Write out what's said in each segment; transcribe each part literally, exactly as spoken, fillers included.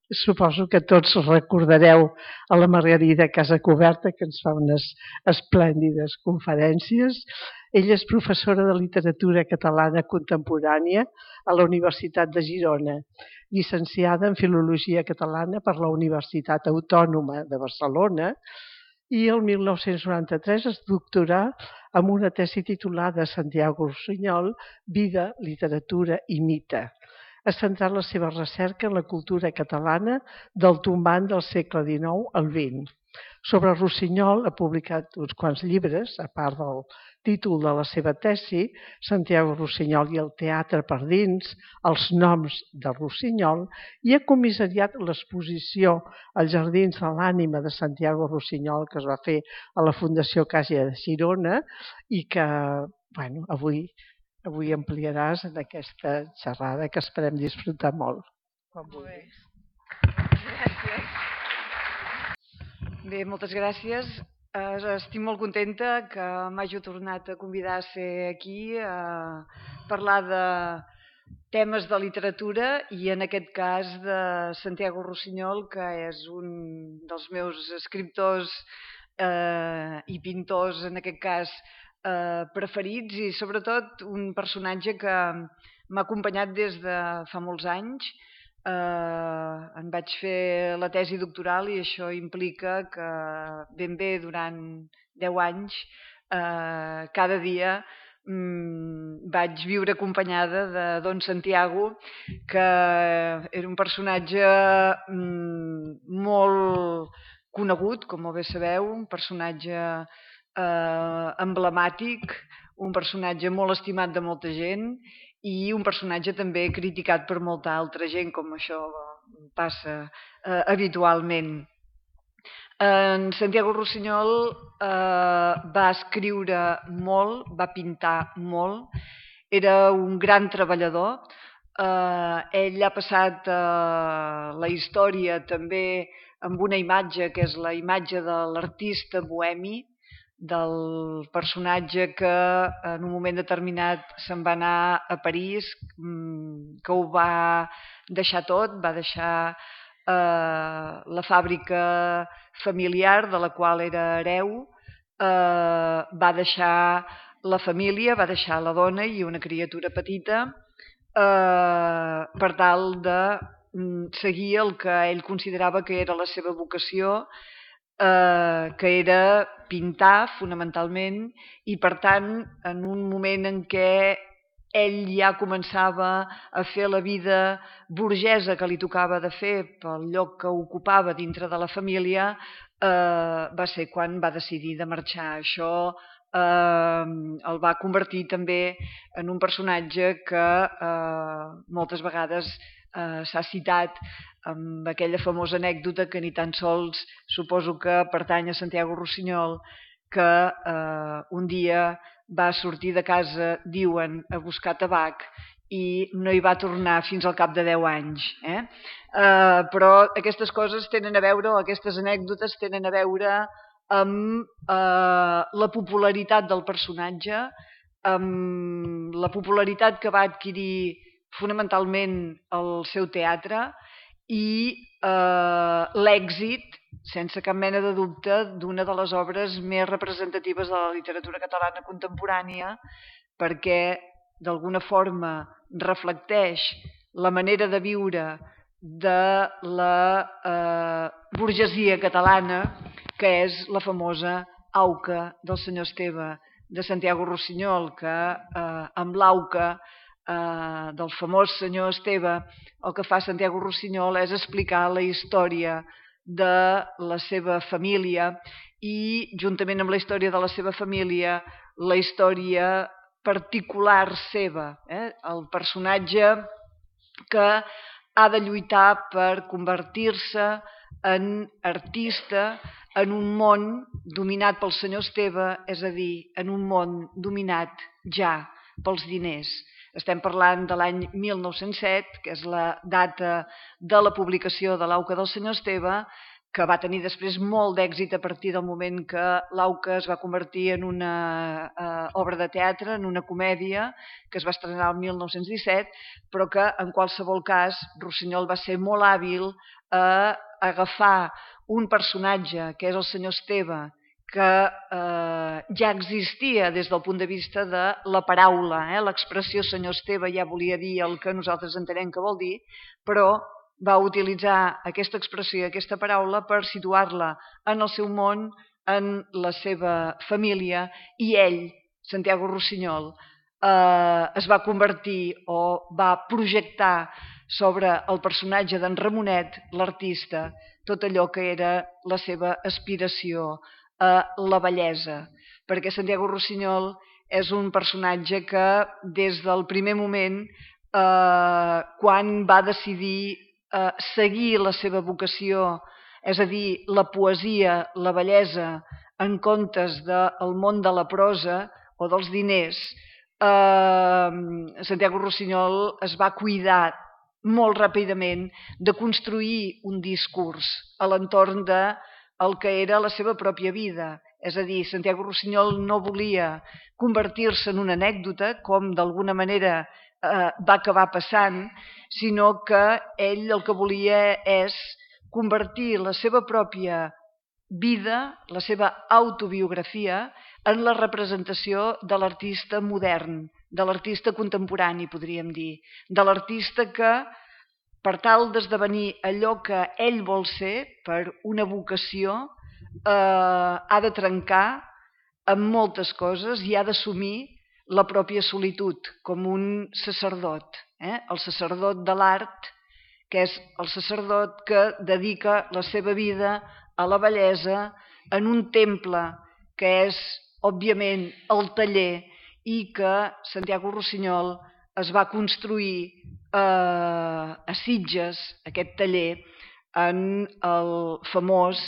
Suposo que tots recordareu a la Margarida Casacuberta, que ens fa unes esplèndides conferències. Ella és professora de literatura catalana contemporània a la Universitat de Girona, llicenciada en Filologia Catalana per la Universitat Autònoma de Barcelona, i el mil nou-cents noranta-tres es doctorà amb una tesi titulada Santiago Rusiñol, Vida, Literatura i Mite. Ha centrat la seva recerca en la cultura catalana del tombant del segle dinou al vint. Sobre Rusiñol ha publicat uns quants llibres, a part del títol de la seva tesi, Santiago Rusiñol i el teatre per dins, els noms de Rusiñol, i ha comissariat l'exposició als Jardins de l'Ànima de Santiago Rusiñol, que es va fer a la Fundació Caixa de Girona i que, bueno, avui avui ampliaràs en aquesta xerrada que esperem disfrutar molt. Molt bé. Gràcies. Bé, moltes gràcies. Estic molt contenta que m'hagi tornat a convidar a ser aquí a parlar de temes de literatura i en aquest cas de Santiago Rusiñol, que és un dels meus escriptors eh, i pintors, en aquest cas, Eh, preferits i sobretot un personatge que m'ha acompanyat des de fa molts anys. Eh, en vaig fer la tesi doctoral i això implica que ben bé durant deu anys eh, cada dia mm, vaig viure acompanyada de Don Santiago, que era un personatge mm, molt conegut, com molt bé sabeu, un personatge Eh, emblemàtic, un personatge molt estimat de molta gent i un personatge també criticat per molta altra gent, com això passa eh, habitualment. En Santiago Rusiñol eh, va escriure molt, va pintar molt, era un gran treballador. Eh, ell ha passat eh, la història també amb una imatge que és la imatge de l'artista bohemi, del personatge que en un moment determinat se'n va anar a París, que ho va deixar tot, va deixar eh, la fàbrica familiar de la qual era hereu, eh, va deixar la família, va deixar la dona i una criatura petita eh, per tal de seguir el que ell considerava que era la seva vocació, Eh, que era pintar fonamentalment, i per tant en un moment en què ell ja començava a fer la vida burgesa que li tocava de fer pel lloc que ocupava dintre de la família, eh, va ser quan va decidir de marxar. Això eh, el va convertir també en un personatge que eh, moltes vegades eh, s'ha citat amb aquella famosa anècdota que ni tan sols suposo que pertany a Santiago Rusiñol, que eh, un dia va sortir de casa, diuen, a buscar tabac i no hi va tornar fins al cap de deu anys. Eh? Eh, però aquestes coses tenen a veure, o aquestes anècdotes tenen a veure amb eh, la popularitat del personatge, amb la popularitat que va adquirir fonamentalment el seu teatre, i eh, l'èxit, sense cap mena de dubte, d'una de les obres més representatives de la literatura catalana contemporània, perquè d'alguna forma reflecteix la manera de viure de la eh, burgesia catalana, que és la famosa auca del senyor Esteve de Santiago Rusiñol, que eh, amb l'auca Uh, del famós senyor Esteve, el que fa Santiago Rusiñol és explicar la història de la seva família i, juntament amb la història de la seva família, la història particular seva, eh? El personatge que ha de lluitar per convertir-se en artista en un món dominat pel senyor Esteve, és a dir, en un món dominat ja pels diners. Estem parlant de l'any mil nou-cents set, que és la data de la publicació de l'auca del senyor Esteve, que va tenir després molt d'èxit a partir del moment que l'Auca es va convertir en una eh, obra de teatre, en una comèdia, que es va estrenar el mil nou-cents disset, però que en qualsevol cas Rossinyol va ser molt hàbil a agafar un personatge, que és el senyor Esteve, que eh, ja existia des del punt de vista de la paraula. Eh? L'expressió senyor Esteve ja volia dir el que nosaltres entenem que vol dir, però va utilitzar aquesta expressió i aquesta paraula per situar-la en el seu món, en la seva família, i ell, Santiago Rossinyol, eh, es va convertir o va projectar sobre el personatge d'en Ramonet, l'artista, tot allò que era la seva aspiració a la bellesa, perquè Santiago Rossinyol és un personatge que des del primer moment, eh, quan va decidir eh, seguir la seva vocació, és a dir, la poesia, la bellesa, en comptes del món de la prosa o dels diners, eh, Santiago Rossinyol es va cuidar molt ràpidament de construir un discurs a l'entorn de el que era la seva pròpia vida. És a dir, Santiago Rossinyol no volia convertir-se en una anècdota, com d'alguna manera eh, va acabar passant, sinó que ell el que volia és convertir la seva pròpia vida, la seva autobiografia, en la representació de l'artista modern, de l'artista contemporani, podríem dir, de l'artista que, per tal d'esdevenir allò que ell vol ser, per una vocació, eh, ha de trencar amb moltes coses i ha d'assumir la pròpia solitud, com un sacerdot, eh? El sacerdot de l'art, que és el sacerdot que dedica la seva vida a la bellesa en un temple que és, òbviament, el taller, i que Santiago Rossinyol es va construir eh, a Sitges, aquest taller, en el famós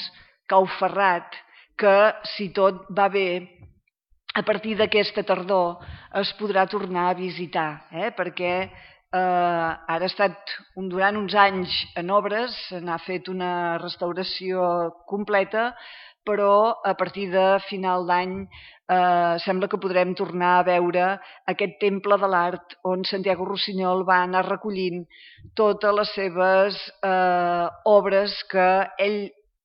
Cau Ferrat, que, si tot va bé, a partir d'aquesta tardor es podrà tornar a visitar, eh? perquè eh, ara ha estat un, durant uns anys en obres, se n'ha fet una restauració completa, però a partir de final d'any eh, sembla que podrem tornar a veure aquest temple de l'art on Santiago Rossinyol va anar recollint totes les seves eh, obres que ell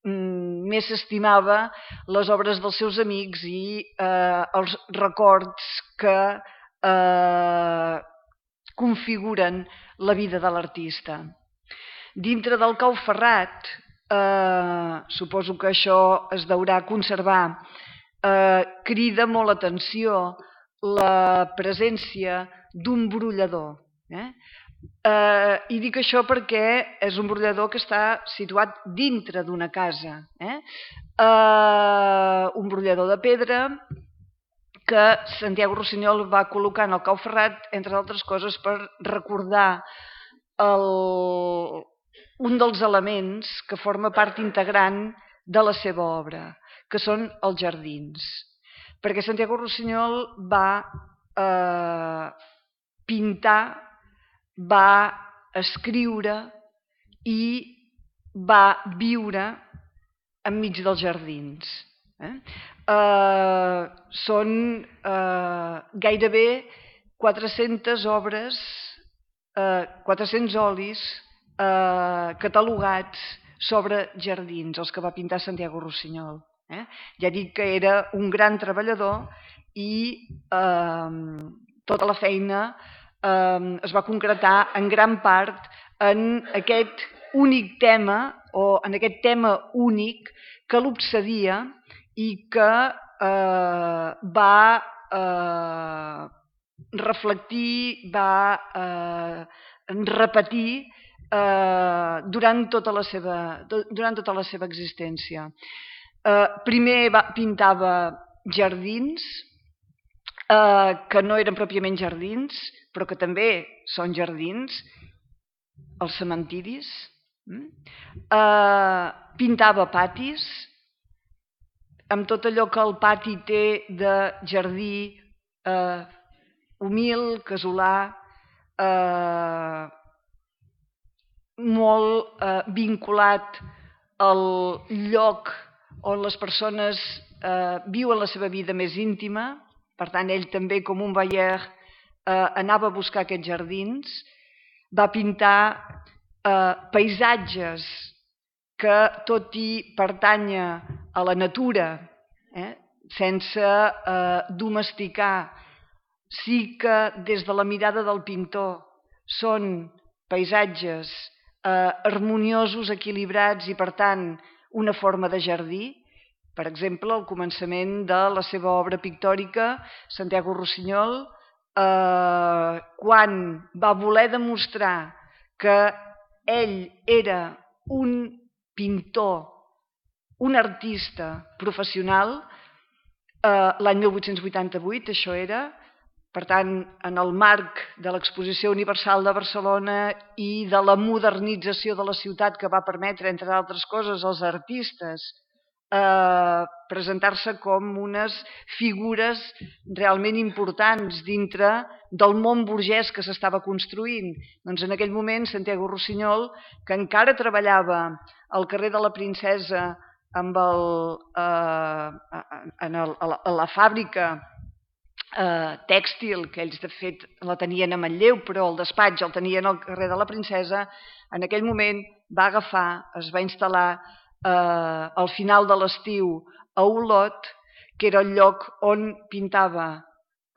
més estimava, les obres dels seus amics i eh, els records que eh, configuren la vida de l'artista. Dintre del Cau Ferrat, eh, suposo que això es deurà conservar, eh, crida molt l'atenció la presència d'un brollador. Eh? Uh, I dic això perquè és un brollador que està situat dintre d'una casa. Eh? Uh, un brollador de pedra que Santiago Rossinyol va col·locar en el Cau Ferrat, entre altres coses, per recordar el, un dels elements que forma part integrant de la seva obra, que són els jardins. Perquè Santiago Rossinyol va uh, pintar, va escriure i va viure enmig dels jardins. Eh? Eh, són eh, gairebé quatre-centes obres, eh, quatre-cents olis eh, catalogats sobre jardins, els que va pintar Santiago Rossinyol. Eh? Ja dic que era un gran treballador i eh, tota la feina es va concretar en gran part en aquest únic tema o en aquest tema únic que l'obsedia i que eh, va eh, reflectir, va eh, repetir eh, durant, tota la seva, durant tota la seva existència. Eh, primer va, pintava jardins, eh, que no eren pròpiament jardins, però que també són jardins, els cementiris. Eh, pintava patis, amb tot allò que el pati té de jardí eh, humil, casolà, eh, molt eh, vinculat el lloc on les persones eh, viuen la seva vida més íntima. Per tant, ell també, com un voyeur, eh, anava a buscar aquests jardins, va pintar eh, paisatges que, tot i pertànyer a la natura, eh, sense eh, domesticar, sí que des de la mirada del pintor són paisatges eh, harmoniosos, equilibrats i, per tant, una forma de jardí. Per exemple, al començament de la seva obra pictòrica, Santiago Rossinyol, eh, quan va voler demostrar que ell era un pintor, un artista professional, eh, l'any mil vuit-cents vuitanta-vuit, això era, per tant, en el marc de l'Exposició Universal de Barcelona i de la modernització de la ciutat que va permetre, entre altres coses, als artistes eh, presentar-se com unes figures realment importants dintre del món burgès que s'estava construint. Doncs en aquell moment, Santiago Rossinyol, que encara treballava al carrer de la Princesa amb el, eh, en el, a, la, a la fàbrica eh, tèxtil, que ells de fet la tenien a Manlleu, però el despatx el tenien al carrer de la Princesa, en aquell moment va agafar, es va instal·lar eh, al final de l'estiu a Olot, que era el lloc on pintava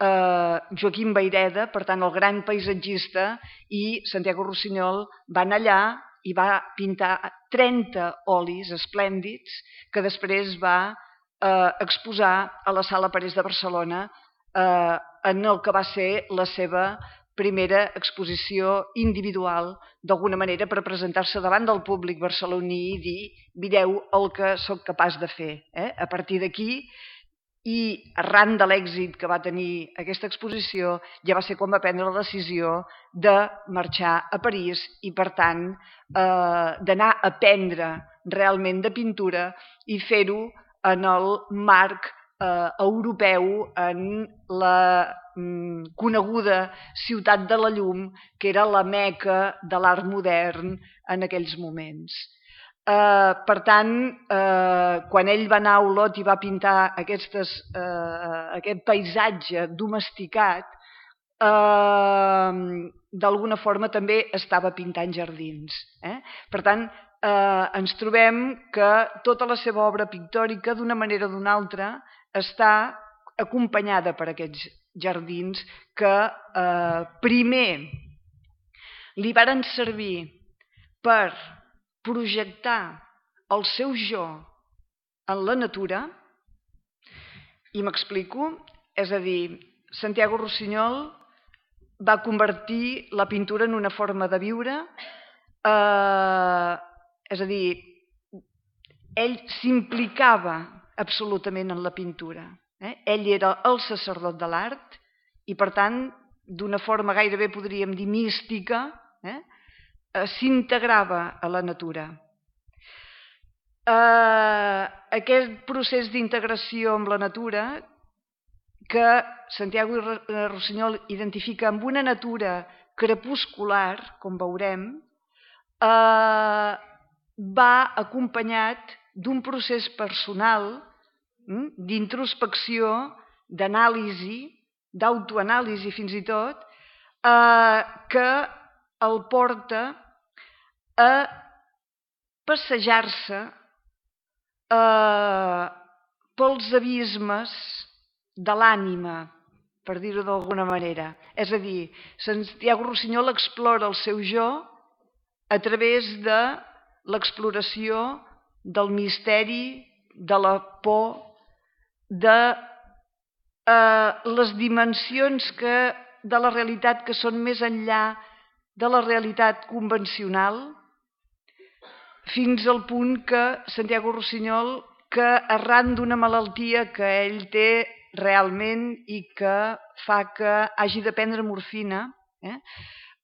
eh, Joaquim Vayreda, per tant el gran paisatgista, i Santiago Rossinyol va anar allà i va pintar trenta olis esplèndids que després va eh, exposar a la Sala Parés de Barcelona eh, en el que va ser la seva primera exposició individual, d'alguna manera per presentar-se davant del públic barceloní i dir, mireu el que sóc capaç de fer. Eh? A partir d'aquí, i arran de l'èxit que va tenir aquesta exposició, ja va ser quan va prendre la decisió de marxar a París i, per tant, eh, d'anar a aprendre realment de pintura i fer-ho en el marc eh, europeu, en la mm, coneguda ciutat de la llum, que era la meca de l'art modern en aquells moments. Uh, per tant, uh, quan ell va anar a Olot i va pintar aquestes, uh, aquest paisatge domesticat, uh, d'alguna forma també estava pintant jardins. Eh? Per tant, uh, ens trobem que tota la seva obra pictòrica, d'una manera o d'una altra, està acompanyada per aquests jardins que uh, primer li varen servir per projectar el seu jo en la natura, i m'explico, és a dir, Santiago Rossinyol va convertir la pintura en una forma de viure, eh, és a dir, ell s'implicava absolutament en la pintura. Eh? Ell era el sacerdot de l'art i, per tant, d'una forma gairebé podríem dir mística, eh? s'integrava a la natura. Eh, aquest procés d'integració amb la natura que Santiago Rossinyol identifica amb una natura crepuscular, com veurem, eh, va acompanyat d'un procés personal hm, d'introspecció, d'anàlisi, d'autoanàlisi fins i tot, eh, que el porta a passejar-se eh, pels abismes de l'ànima, per dir-ho d'alguna manera. És a dir, Santiago Rossinyol explora el seu jo a través de l'exploració del misteri, de la por, de eh, les dimensions que, de la realitat que són més enllà de la realitat convencional, fins al punt que Santiago Rossinyol, que arran d'una malaltia que ell té realment i que fa que hagi de prendre morfina, eh,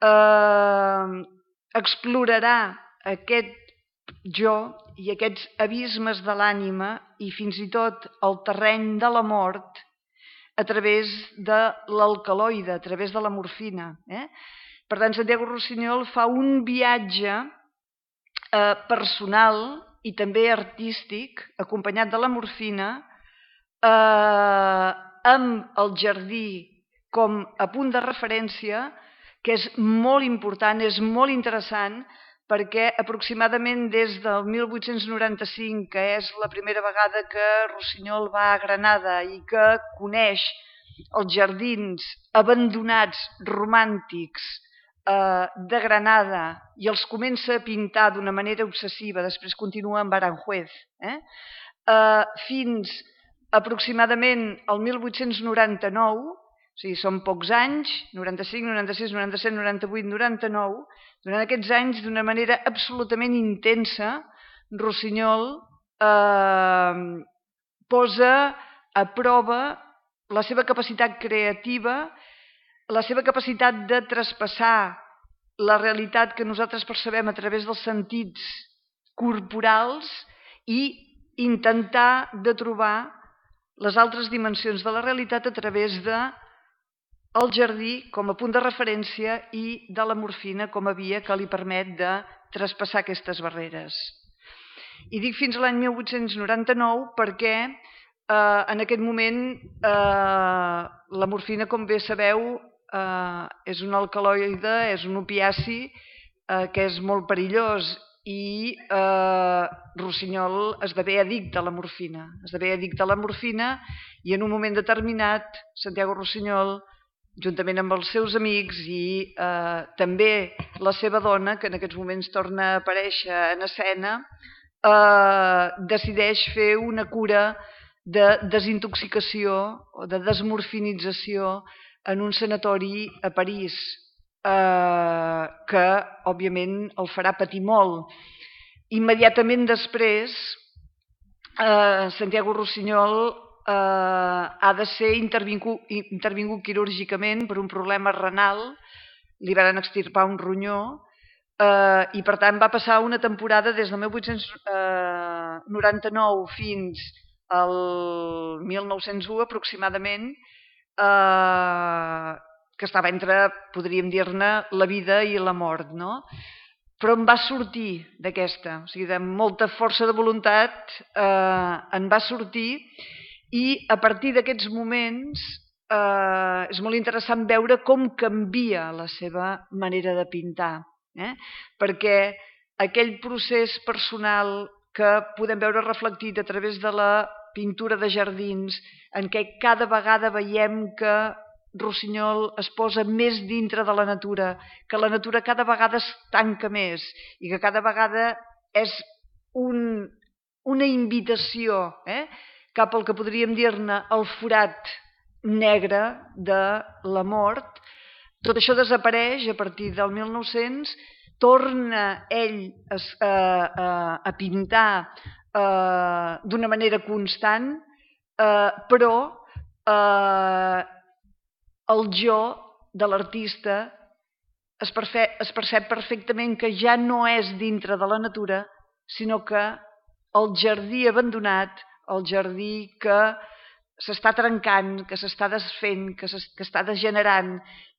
eh, explorarà aquest jo i aquests abismes de l'ànima i fins i tot el terreny de la mort a través de l'alcaloide, a través de la morfina. Eh? Per tant, Santiago Rossinyol fa un viatge eh, personal i també artístic, acompanyat de la morfina, eh, amb el jardí com a punt de referència, que és molt important, és molt interessant, perquè aproximadament des del mil vuit-cents noranta-cinc, que és la primera vegada que Rossinyol va a Granada i que coneix els jardins abandonats romàntics eh, de Granada i els comença a pintar d'una manera obsessiva, després continua amb Aranjuez, eh? Eh, fins aproximadament el mil vuit-cents noranta-nou, o sigui, són pocs anys, noranta-cinc, noranta-sis, noranta-set, noranta-vuit, noranta-nou, durant aquests anys, d'una manera absolutament intensa, Rossinyol eh, posa a prova la seva capacitat creativa, la seva capacitat de traspassar la realitat que nosaltres percebem a través dels sentits corporals i intentar de trobar les altres dimensions de la realitat a través de el jardí com a punt de referència i de la morfina com a via que li permet de traspassar aquestes barreres. I dic fins a l'any mil vuit-cents noranta-nou perquè eh, en aquest moment eh, la morfina, com bé sabeu, eh, és un alcaloide, és un opiaci eh, que és molt perillós i eh, Rossinyol esdevé addicte a la morfina. Esdevé addicte a la morfina i en un moment determinat Santiago Rossinyol, juntament amb els seus amics i eh, també la seva dona, que en aquests moments torna a aparèixer en escena, eh, decideix fer una cura de desintoxicació o de desmorfinització en un sanatori a París, eh, que òbviament el farà patir molt. Immediatament després, eh, Santiago Rossinyol Eh, ha de ser intervingut, intervingut quirúrgicament per un problema renal, li van extirpar un ronyó eh, i per tant va passar una temporada des del mil vuit-cents noranta-nou fins al mil nou-cents u aproximadament, eh, que estava entre, podríem dir-ne, la vida i la mort, no? Però en va sortir d'aquesta, o sigui, de molta força de voluntat eh, en va sortir. I a partir d'aquests moments eh, és molt interessant veure com canvia la seva manera de pintar, eh? Perquè aquell procés personal que podem veure reflectit a través de la pintura de jardins, en què cada vegada veiem que Rossinyol es posa més dintre de la natura, que la natura cada vegada es tanca més i que cada vegada és un, una invitació, eh? cap al que podríem dir-ne el forat negre de la mort. Tot això desapareix a partir del mil nou-cents, torna ell a, a, a pintar eh, d'una manera constant, eh, però eh, el jo de l'artista es, es percep perfectament que ja no és dintre de la natura, sinó que el jardí abandonat, el jardí que s'està trencant, que s'està desfent, que, que està degenerant,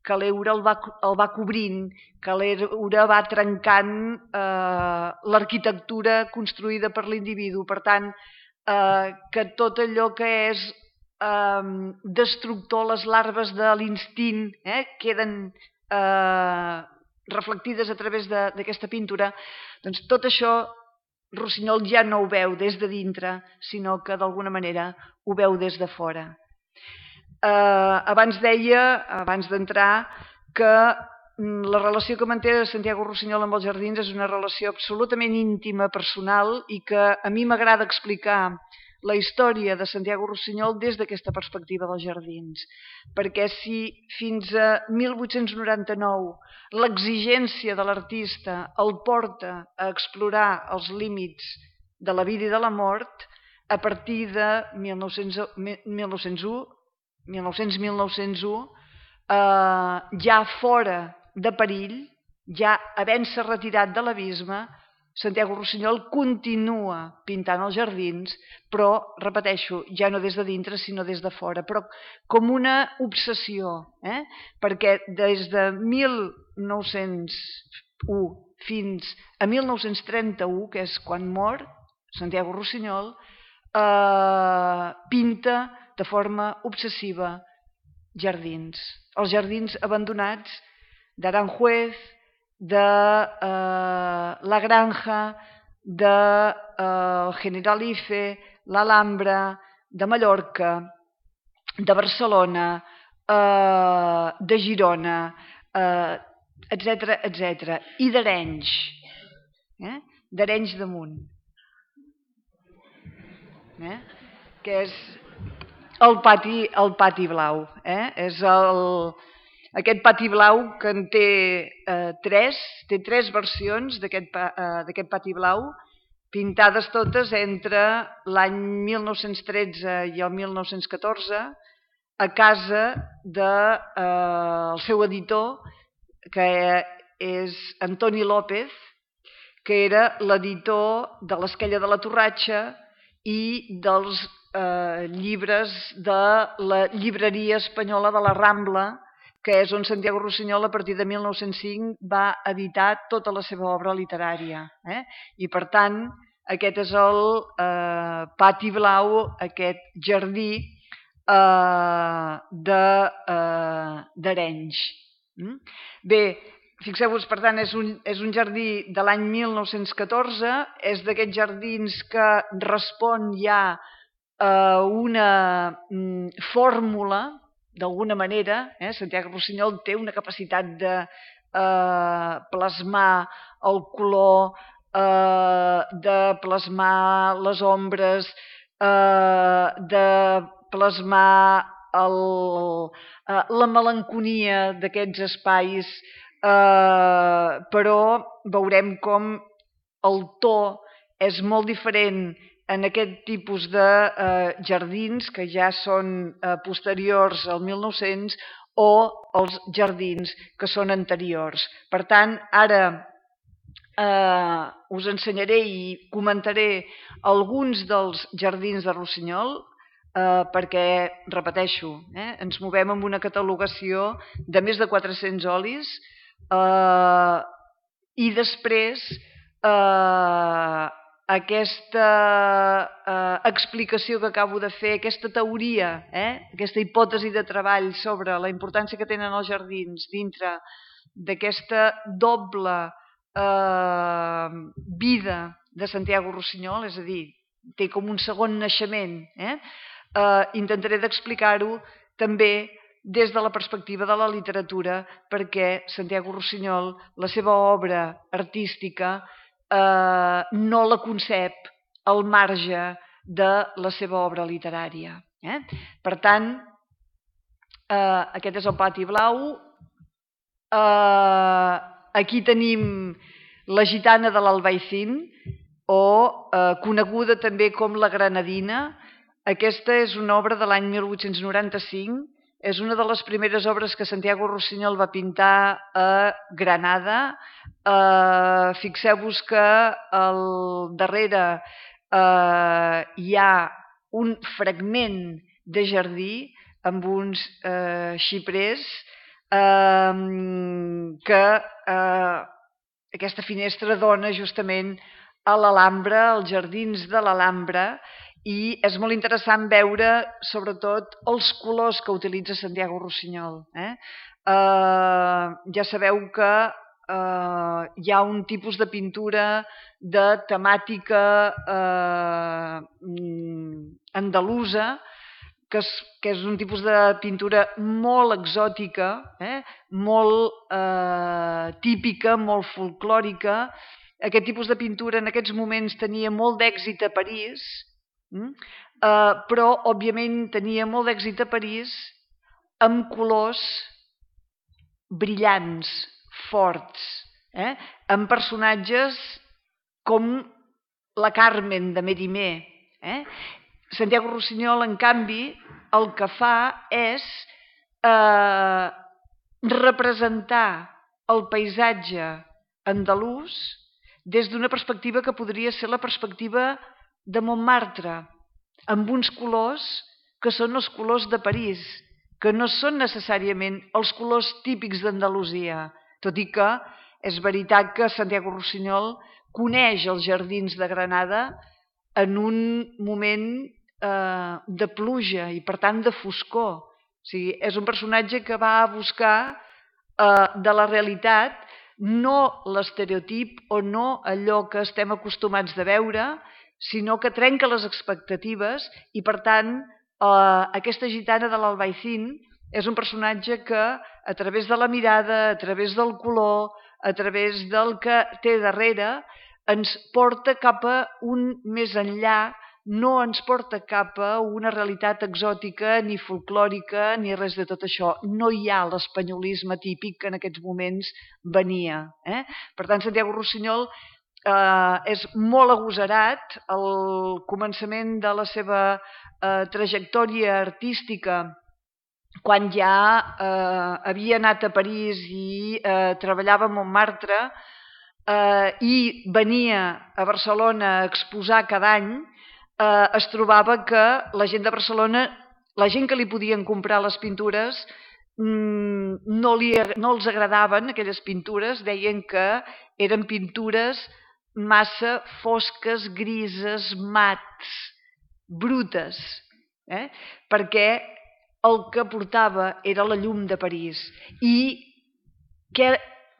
que l'eure el, va, el va cobrint, que l'eure va trencant eh, l'arquitectura construïda per l'individu. Per tant, eh, que tot allò que és eh, destructor, les larves de l'instint, eh, queden eh, reflectides a través d'aquesta pintura, doncs tot això Rossinyol ja no ho veu des de dintre, sinó que d'alguna manera ho veu des de fora. Eh, abans deia, abans d'entrar, que la relació que manté Santiago Rossinyol amb els jardins és una relació absolutament íntima, personal, i que a mi m'agrada explicar la història de Santiago Rossinyol des d'aquesta perspectiva dels jardins. Perquè si fins a mil vuit-cents noranta-nou l'exigència de l'artista el porta a explorar els límits de la vida i de la mort, a partir de mil nou-cents u, mil nou-cents u, eh, ja fora de perill, ja havent-se retirat de l'abisme, Santiago Rossinyol continua pintant els jardins, però, repeteixo, ja no des de dintre, sinó des de fora, però com una obsessió, eh? Perquè des de mil nou-cents u fins a mil nou-cents trenta-u, que és quan mor, Santiago Rossinyol, eh, pinta de forma obsessiva jardins. Els jardins abandonats d'Aranjuez, de eh, La Granja, de eh, Generalife, l'Alhambra, de Mallorca, de Barcelona, eh, de Girona, eh, etcètera, etcètera. I d'Arenys, eh? d'Arenys de Munt, eh? que és el pati, el pati blau. Eh? És el, aquest pati blau que en té eh, tres, té tres versions d'aquest eh, pati blau, pintades totes entre l'any mil nou-cents tretze i el mil nou-cents catorze, a casa del de, eh, seu editor, que és Antoni López, que era l'editor de l'Esquella de la Torratxa i dels eh, llibres de la llibreria espanyola de la Rambla, que és on Santiago Rossinyol a partir de mil nou-cents cinc va editar tota la seva obra literària. Eh? I per tant, aquest és el eh, pati blau, aquest jardí eh, d'Arenys. De, eh, Bé, fixeu-vos, per tant, és un, és un jardí de l'any mil nou-cents catorze, és d'aquests jardins que respon ja a una mm, fórmula, d'alguna manera. Eh? Santiago Rossinyol té una capacitat de eh, plasmar el color, eh, de plasmar les ombres, eh, de plasmar el, eh, la melanconia d'aquests espais, eh, però veurem com el to és molt diferent en aquest tipus de eh, jardins que ja són eh, posteriors al mil nou-cents o els jardins que són anteriors. Per tant, ara eh, us ensenyaré i comentaré alguns dels jardins de Rossinyol, eh, perquè, repeteixo, eh, ens movem amb una catalogació de més de quatre-cents olis eh, i després eh, aquesta eh, explicació que acabo de fer, aquesta teoria, eh, aquesta hipòtesi de treball sobre la importància que tenen els jardins dintre d'aquesta doble eh, vida de Santiago Rossinyol, és a dir, té com un segon naixement, eh? Eh, intentaré d'explicar-ho també des de la perspectiva de la literatura, perquè Santiago Rossinyol, la seva obra artística, Eh, no la concep al marge de la seva obra literària. Eh? Per tant, eh, aquest és el pati blau. Eh, aquí tenim la gitana de l'Albaicín, o eh, coneguda també com la Granadina. Aquesta és una obra de l'any mil vuit-cents noranta-cinc. És una de les primeres obres que Santiago Rossinyol va pintar a Granada. Eh, Fixeu-vos que al darrere eh, hi ha un fragment de jardí amb uns eh, xiprers eh, que eh, aquesta finestra dona justament a l'Alhambra, als jardins de l'Alhambra, i és molt interessant veure, sobretot, els colors que utilitza Santiago Rossinyol. Eh? Eh, ja sabeu que eh, hi ha un tipus de pintura de temàtica eh, andalusa, que és, que és un tipus de pintura molt exòtica, eh? molt eh, típica, molt folclòrica. Aquest tipus de pintura en aquests moments tenia molt d'èxit a París, Uh, però, òbviament, tenia molt d'èxit a París amb colors brillants, forts, eh? amb personatges com la Carmen de Mérimée. Eh? Santiago Rossinyol, en canvi, el que fa és eh, representar el paisatge andalús des d'una perspectiva que podria ser la perspectiva de Montmartre, amb uns colors que són els colors de París, que no són necessàriament els colors típics d'Andalusia, tot i que és veritat que Santiago Rossinyol coneix els jardins de Granada en un moment eh, de pluja i, per tant, de foscor. O sigui, és un personatge que va a buscar eh, de la realitat no l'estereotip o no allò que estem acostumats de veure, sinó que trenca les expectatives i, per tant, eh, aquesta gitana de l'Albaicín és un personatge que, a través de la mirada, a través del color, a través del que té darrere, ens porta cap a un més enllà, no ens porta cap a una realitat exòtica, ni folclòrica, ni res de tot això. No hi ha l'espanyolisme típic que en aquests moments venia. Eh? Per tant, Santiago Rossinyol eh, és molt agosarat. Al començament de la seva eh, trajectòria artística, quan ja eh, havia anat a París i eh, treballava a Montmartre eh, i venia a Barcelona a exposar cada any, eh, es trobava que la gent de Barcelona, la gent que li podien comprar les pintures, mmm, no, li, no els agradaven aquelles pintures, deien que eren pintures massa fosques, grises, mats, brutes, eh? perquè el que portava era la llum de París. I què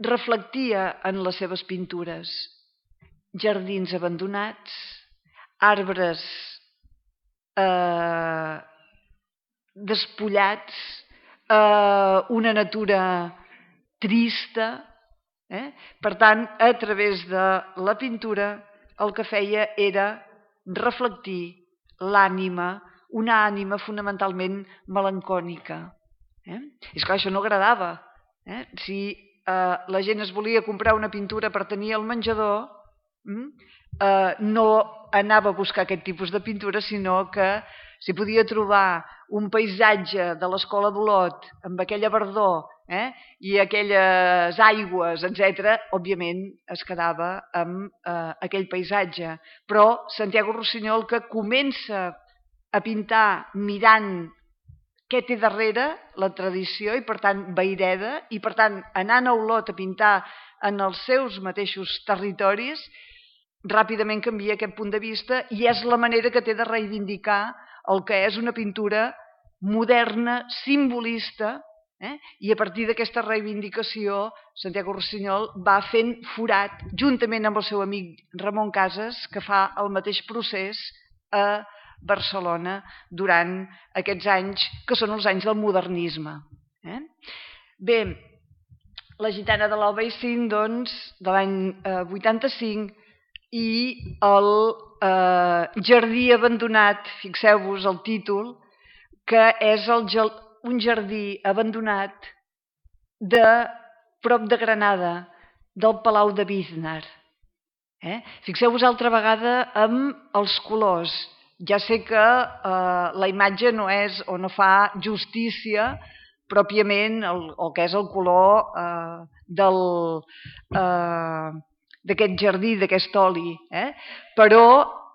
reflectia en les seves pintures? Jardins abandonats, arbres eh, despullats, eh, una natura trista. Eh? Per tant, a través de la pintura, el que feia era reflectir l'ànima, una ànima fonamentalment melancònica. Eh? I esclar, això no agradava. Eh? Si eh, la gent es volia comprar una pintura per tenir al menjador, eh, no anava a buscar aquest tipus de pintura, sinó que si podia trobar un paisatge de l'Escola d'Olot amb aquella verdor eh, i aquelles aigües, etcètera, òbviament es quedava amb eh, aquell paisatge. Però Santiago Rossinyol, que comença a pintar mirant què té darrere la tradició i, per tant, Vayreda, i, per tant, anant a Olot a pintar en els seus mateixos territoris, ràpidament canvia aquest punt de vista i és la manera que té de reivindicar el que és una pintura moderna, simbolista, eh? I a partir d'aquesta reivindicació Santiago Rossinyol va fent forat, juntament amb el seu amic Ramon Casas, que fa el mateix procés a Barcelona durant aquests anys, que són els anys del modernisme. Eh? Bé, la gitana de l'Albaicín, doncs, de l'any eh, vuitanta-cinc, i el eh, jardí abandonat, fixeu-vos el títol, que és el, un jardí abandonat de prop de Granada, del Palau de Biznar. Eh? Fixeu-vos altra vegada amb els colors. Ja sé que eh, la imatge no és o no fa justícia pròpiament el, el que és el color eh, del... Eh, d'aquest jardí, d'aquest oli. Eh? Però,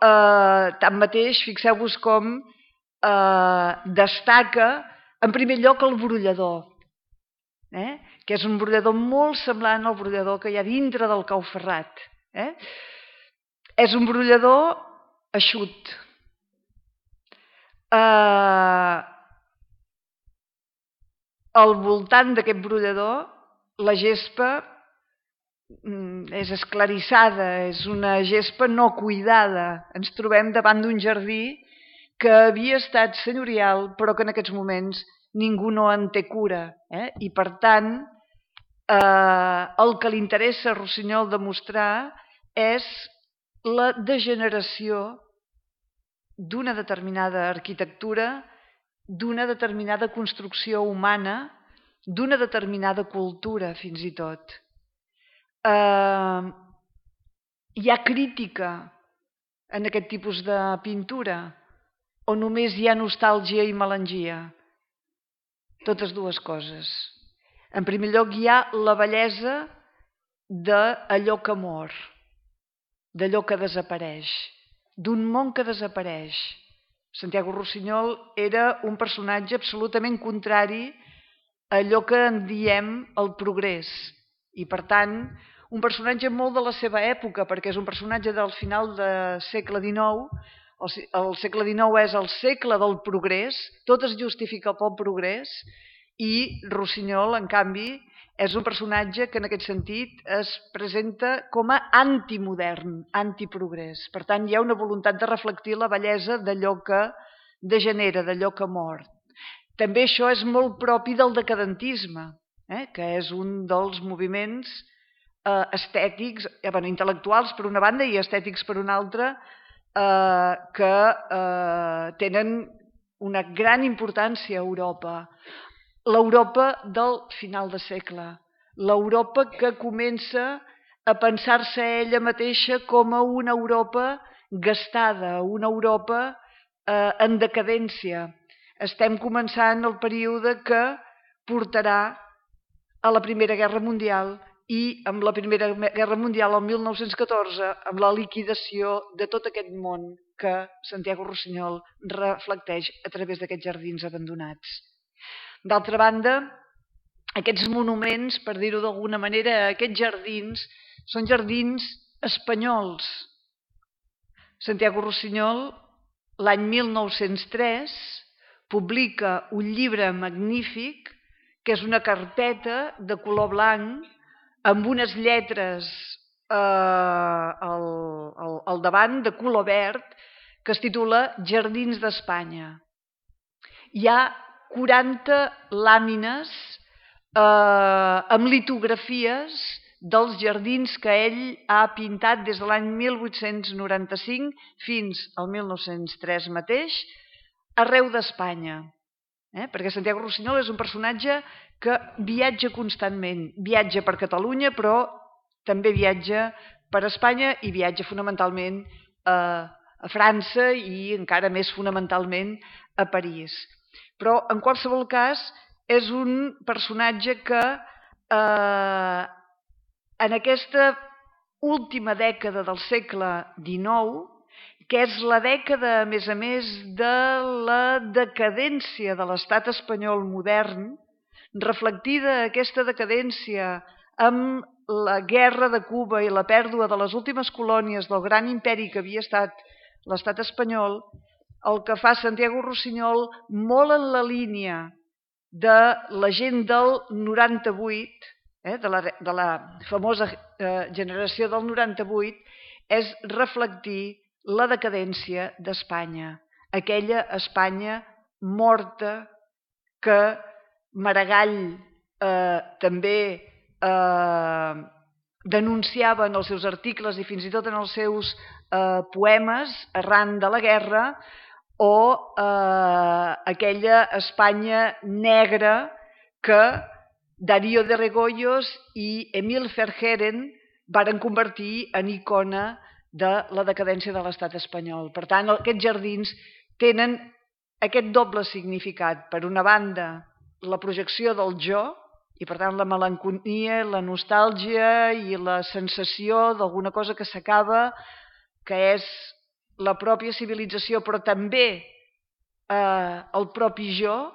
eh, tanmateix, fixeu-vos com eh, destaca, en primer lloc, el brollador, eh? que és un brollador molt semblant al brollador que hi ha dintre del Cau Ferrat. Eh? És un brollador eixut. Eh, al voltant d'aquest brollador, la gespa és esclarissada, és una gespa no cuidada. Ens trobem davant d'un jardí que havia estat senyorial, però que en aquests moments ningú no en té cura. Eh? I per tant, eh, el que li interessa a Rossinyol demostrar és la degeneració d'una determinada arquitectura, d'una determinada construcció humana, d'una determinada cultura, fins i tot. Uh, hi ha crítica en aquest tipus de pintura o només hi ha nostàlgia i melangia? Totes dues coses. En primer lloc hi ha la bellesa d'allò que mor, d'allò que desapareix, d'un món que desapareix. Santiago Rossinyol era un personatge absolutament contrari a allò que en diem el progrés. I, per tant, un personatge molt de la seva època, perquè és un personatge del final del segle dinou. El segle dinou és el segle del progrés, tot es justifica pel progrés, i Rossinyol, en canvi, és un personatge que en aquest sentit es presenta com a antimodern, antiprogrés. Per tant, hi ha una voluntat de reflectir la bellesa d'allò que degenera, d'allò que mor. També això és molt propi del decadentisme, eh? que és un dels moviments eh, estètics, eh, bueno, intel·lectuals per una banda i estètics per una altra, eh, que eh, tenen una gran importància a Europa. L'Europa del final de segle, l'Europa que comença a pensar-se ella mateixa com a una Europa gastada, una Europa eh, en decadència. Estem començant el període que portarà a la Primera Guerra Mundial i amb la Primera Guerra Mundial, el mil nou-cents catorze, amb la liquidació de tot aquest món que Santiago Rossinyol reflecteix a través d'aquests jardins abandonats. D'altra banda, aquests monuments, per dir-ho d'alguna manera, aquests jardins, són jardins espanyols. Santiago Rossinyol, l'any mil nou-cents tres, publica un llibre magnífic, que és una carpeta de color blanc, amb unes lletres eh, al, al, al davant de color verd, que es titula Jardins d'Espanya. Hi ha quaranta làmines eh, amb litografies dels jardins que ell ha pintat des de l'any mil vuit-cents noranta-cinc fins al mil nou-cents tres mateix, arreu d'Espanya. Eh? Perquè Santiago Rossinyol és un personatge que viatja constantment. Viatja per Catalunya, però també viatja per Espanya i viatja fonamentalment a, a França i encara més fonamentalment a París. Però, en qualsevol cas, és un personatge que eh, en aquesta última dècada del segle dinou, que és la dècada, a més a més, de la decadència de l'estat espanyol modern, reflectida aquesta decadència amb la guerra de Cuba i la pèrdua de les últimes colònies del gran imperi que havia estat l'estat espanyol, el que fa Santiago Rossinyol, molt en la línia de la gent del noranta-vuit, eh, de, la, de la famosa eh, generació del noranta-vuit, és reflectir la decadència d'Espanya, aquella Espanya morta que Maragall eh, també eh, denunciava en els seus articles i fins i tot en els seus eh, poemes arran de la guerra, o eh, aquella Espanya negra que Darío de Regoyos i Emil Verhaeren varen convertir en icona de la decadència de l'estat espanyol. Per tant, aquests jardins tenen aquest doble significat. Per una banda, la projecció del jo, i per tant la melancolia, la nostàlgia i la sensació d'alguna cosa que s'acaba, que és la pròpia civilització, però també eh, el propi jo,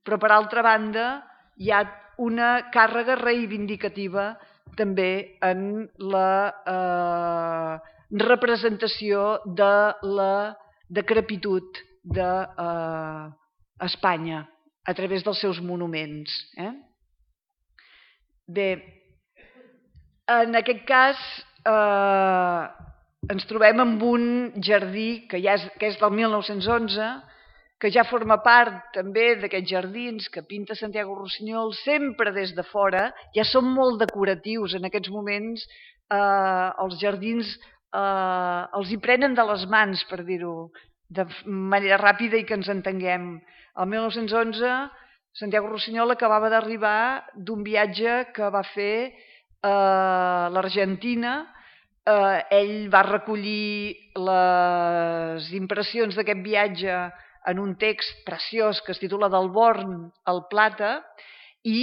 però per altra banda hi ha una càrrega reivindicativa també en la eh, representació de la decrepitud d'Espanya a través dels seus monuments. Eh? Bé, en aquest cas eh, ens trobem amb un jardí que, ja és, que és del mil nou-cents onze, que ja forma part també d'aquests jardins que pinta Santiago Rossinyol sempre des de fora, ja són molt decoratius en aquests moments, eh, els jardins eh, els hi prenen de les mans, per dir-ho de manera ràpida i que ens entenguem. El mil nou-cents onze Santiago Rossinyol acabava d'arribar d'un viatge que va fer a l'Argentina. Eh, ell va recollir les impressions d'aquest viatge en un text preciós que es titula Del Born al Plata i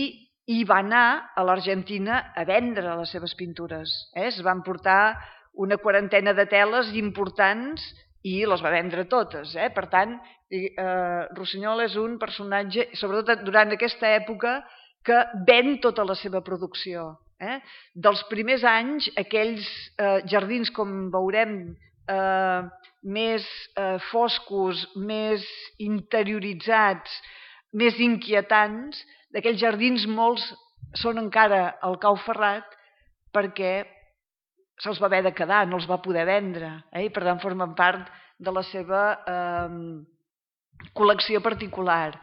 hi va anar a l'Argentina a vendre les seves pintures. Eh? Es van portar una quarantena de teles importants i les va vendre totes. Eh? Per tant, eh, Rossinyol és un personatge, sobretot durant aquesta època, que ven tota la seva producció. Eh? Dels primers anys, aquells eh, jardins, com veurem, eh, més eh, foscos, més interioritzats, més inquietants, d'aquells jardins molts són encara al Cau Ferrat perquè se'ls va haver de quedar, no els va poder vendre, eh? I per tant formen part de la seva eh, col·lecció particular.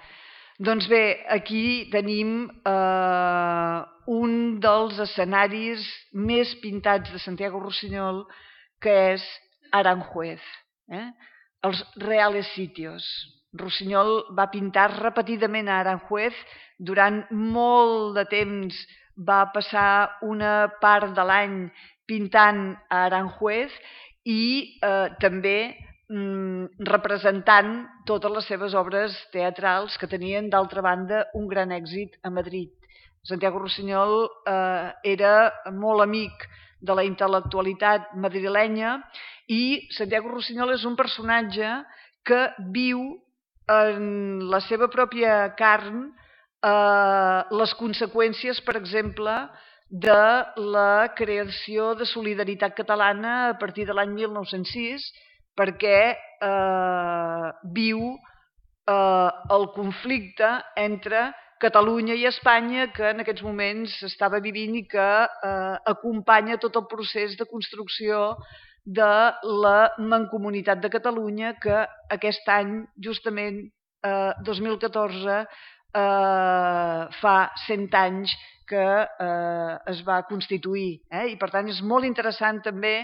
Doncs bé, aquí tenim eh, un dels escenaris més pintats de Santiago Rusiñol, que és Aranjuez, eh? Els Reales Sitios. Rusiñol va pintar repetidament a Aranjuez, durant molt de temps va passar una part de l'any pintant a Aranjuez i eh, també representant totes les seves obres teatrals que tenien, d'altra banda, un gran èxit a Madrid. Santiago Rusiñol eh, era molt amic de la intel·lectualitat madrilenya i Santiago Rusiñol és un personatge que viu en la seva pròpia carn eh, les conseqüències, per exemple, de la creació de Solidaritat Catalana a partir de l'any mil nou-cents sis, perquè eh, viu eh, el conflicte entre Catalunya i Espanya, que en aquests moments s'estava vivint i que eh, acompanya tot el procés de construcció de la Mancomunitat de Catalunya, que aquest any, justament eh, dos mil catorze, eh, fa cent anys que eh, es va constituir. Eh? I per tant és molt interessant també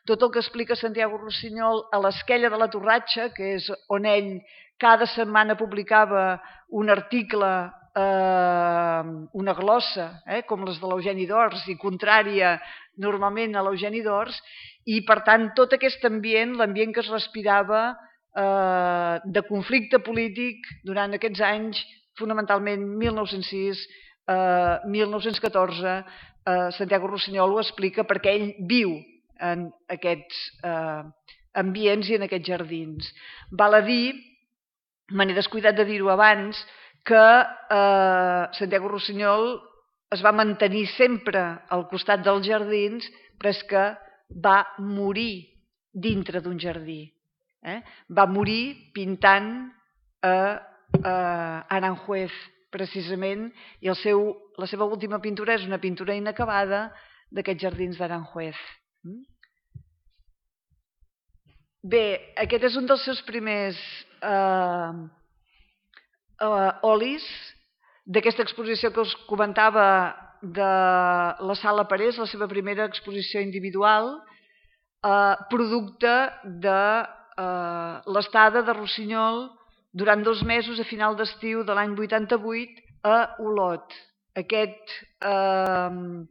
tot el que explica Santiago Rusiñol a l'Esquella de la Torratxa, que és on ell cada setmana publicava un article, eh, una glossa, eh, com les de l'Eugeni d'Ors, i contrària normalment a l'Eugeni d'Ors, i per tant tot aquest ambient, l'ambient que es respirava eh, de conflicte polític durant aquests anys, fonamentalment mil nou-cents sis, eh, mil nou-cents catorze, eh, Santiago Rusiñol ho explica perquè ell viu en aquests eh, ambients i en aquests jardins. Val a dir, me n'he descuidat de dir-ho abans, que eh, Santiago Rusiñol es va mantenir sempre al costat dels jardins, però és que va morir dintre d'un jardí. Eh? Va morir pintant a, a Aranjuez, precisament, i el seu, la seva última pintura és una pintura inacabada d'aquests jardins d'Aranjuez. Bé, aquest és un dels seus primers eh, eh, olis, d'aquesta exposició que us comentava de la Sala Parés, la seva primera exposició individual, eh, producte de eh, l'estada de Rusiñol durant dos mesos a final d'estiu de l'any vuitanta-vuit a Olot. Aquest eh,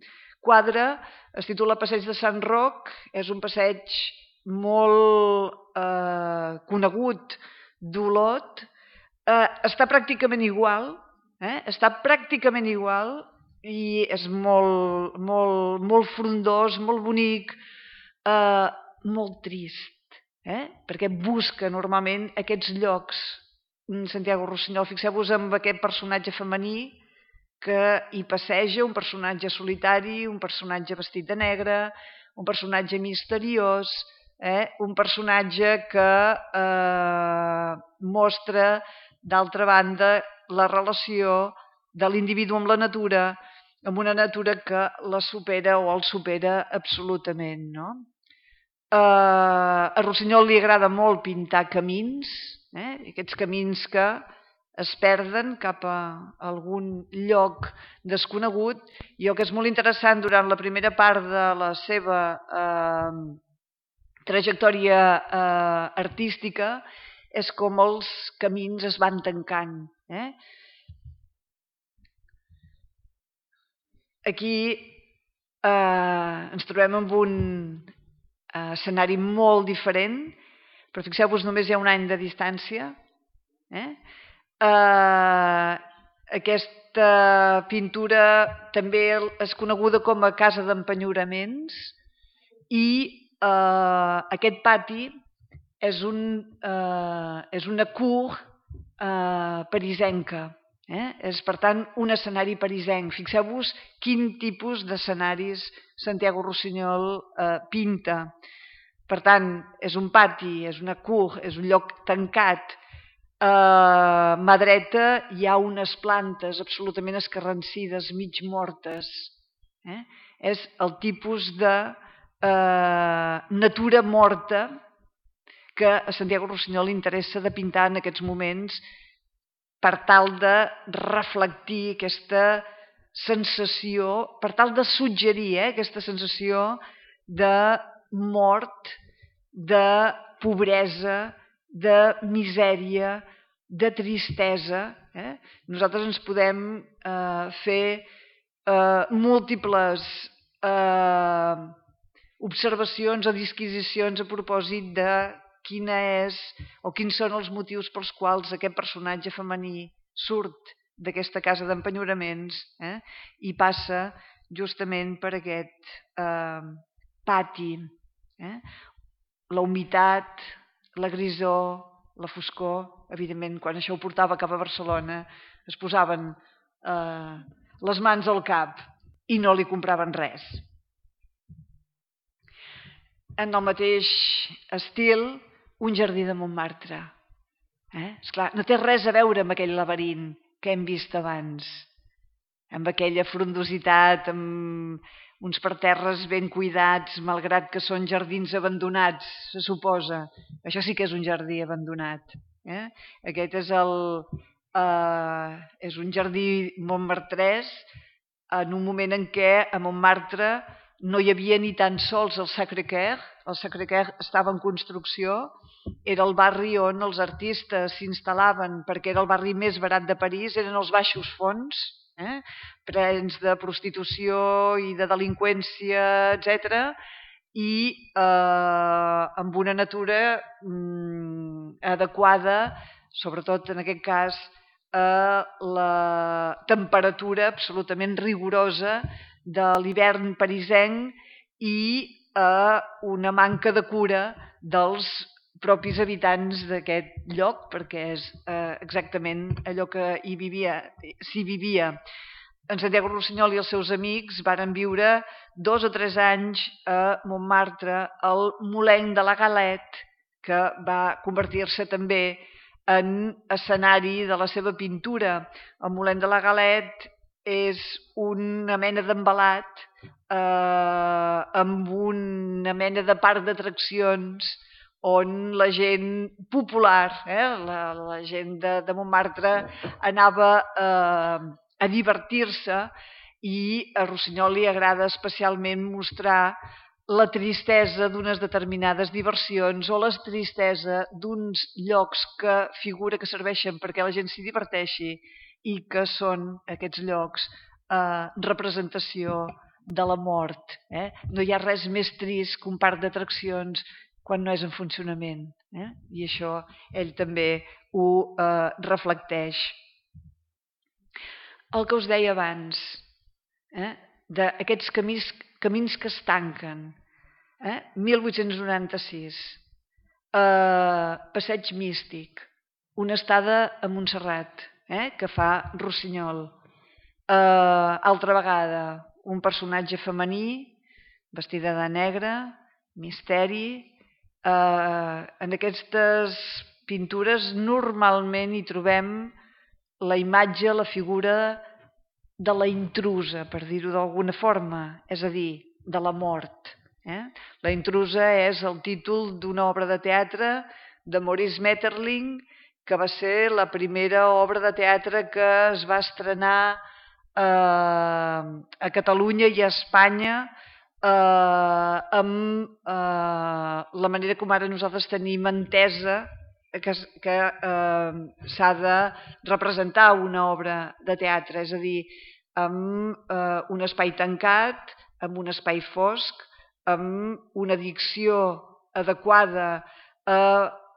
quadre es titula Passeig de Sant Roc, és un passeig molt eh, conegut d'Olot, eh, està pràcticament igual, eh? està pràcticament igual i és molt, molt, molt frondós, molt bonic, eh, molt trist, eh? perquè busca normalment aquests llocs. Santiago Rusiñol, fixeu-vos en aquest personatge femení que hi passeja, un personatge solitari, un personatge vestit de negre, un personatge misteriós, eh? un personatge que eh, mostra, d'altra banda, la relació de l'individu amb la natura, amb una natura que la supera o el supera absolutament. No? Eh, a Rusiñol li agrada molt pintar camins, eh? aquests camins que es perden cap a algun lloc desconegut, i el que és molt interessant durant la primera part de la seva eh, trajectòria eh, artística és com els camins es van tancant. Eh? Aquí eh, ens trobem amb un eh, escenari molt diferent, però fixeu-vos, només hi ha un any de distància. Eh? Uh, aquesta pintura també és coneguda com a Casa d'Empenyoraments i uh, aquest pati és, un, uh, és una cour uh, parisenca. Eh? És, per tant, un escenari parisenc. Fixeu-vos quin tipus d'escenaris Santiago Rossinyol eh, pinta. Per tant, és un pati, és una cour, és un lloc tancat. A mà dreta hi ha unes plantes absolutament escarrancides, mig mortes. Eh? És el tipus de eh, natura morta que a Santiago Rossinyol li interessa de pintar en aquests moments per tal de reflectir aquesta sensació, per tal de suggerir eh, aquesta sensació de mort, de pobresa, de misèria, de tristesa. Eh? Nosaltres ens podem eh, fer eh, múltiples eh, observacions o disquisicions a propòsit de quina és o quins són els motius pels quals aquest personatge femení surt d'aquesta casa d'empenyoraments eh, i passa justament per aquest eh, pati. Eh? La humitat, la grisor, la foscor, evidentment, quan això ho portava cap a Barcelona, es posaven eh, les mans al cap i no li compraven res. En el mateix estil, un jardí de Montmartre. Eh? Esclar, no té res a veure amb aquell laberint que hem vist abans, amb aquella frondositat, amb uns parterres ben cuidats, malgrat que són jardins abandonats, se suposa. Això sí que és un jardí abandonat. Eh? Aquest és, el, eh, és un jardí montmartrès en un moment en què a Montmartre no hi havia ni tan sols el Sacré-Cœur. El Sacré-Cœur estava en construcció, era el barri on els artistes s'instal·laven perquè era el barri més barat de París, eren els baixos fons, eh? plens de prostitució i de delinqüència, etcètera, i eh, amb una natura mm, adequada, sobretot en aquest cas, a la temperatura absolutament rigorosa de l'hivern parisenc i a una manca de cura dels propis habitants d'aquest lloc, perquè és eh, exactament allò que hi vivia, s'hi vivia. En Santiago Rossinyol i els seus amics varen viure dos o tres anys a Montmartre, al Moulin de la Galette, que va convertir-se també en escenari de la seva pintura. El Moulin de la Galette és una mena d'embalat eh, amb una mena de parc d'atraccions on la gent popular, eh, la, la gent de, de Montmartre anava eh, a divertir-se, i a Rossinyol li agrada especialment mostrar la tristesa d'unes determinades diversions o la tristesa d'uns llocs que figura que serveixen perquè la gent s'hi diverteixi i que són aquests llocs eh, representació de la mort. Eh? No hi ha res més trist que un parc d'atraccions quan no és en funcionament. Eh? I això ell també ho eh, reflecteix. El que us deia abans, eh? d'aquests camins, camins que es tanquen. Eh? mil vuit-cents noranta-sis, eh, Passeig Místic, una estada a Montserrat, eh? que fa Rossinyol. Eh, altra vegada, un personatge femení, vestida de negre, misteri. Eh, en aquestes pintures normalment hi trobem la imatge, la figura de la intrusa, per dir-ho d'alguna forma, és a dir, de la mort. Eh? La intrusa és el títol d'una obra de teatre de Maurice Maeterlinck, que va ser la primera obra de teatre que es va estrenar eh, a Catalunya i a Espanya eh, amb eh, la manera com ara nosaltres tenim entesa que, que eh, s'ha de representar una obra de teatre, és a dir, amb eh, un espai tancat, amb un espai fosc, amb una dicció adequada a,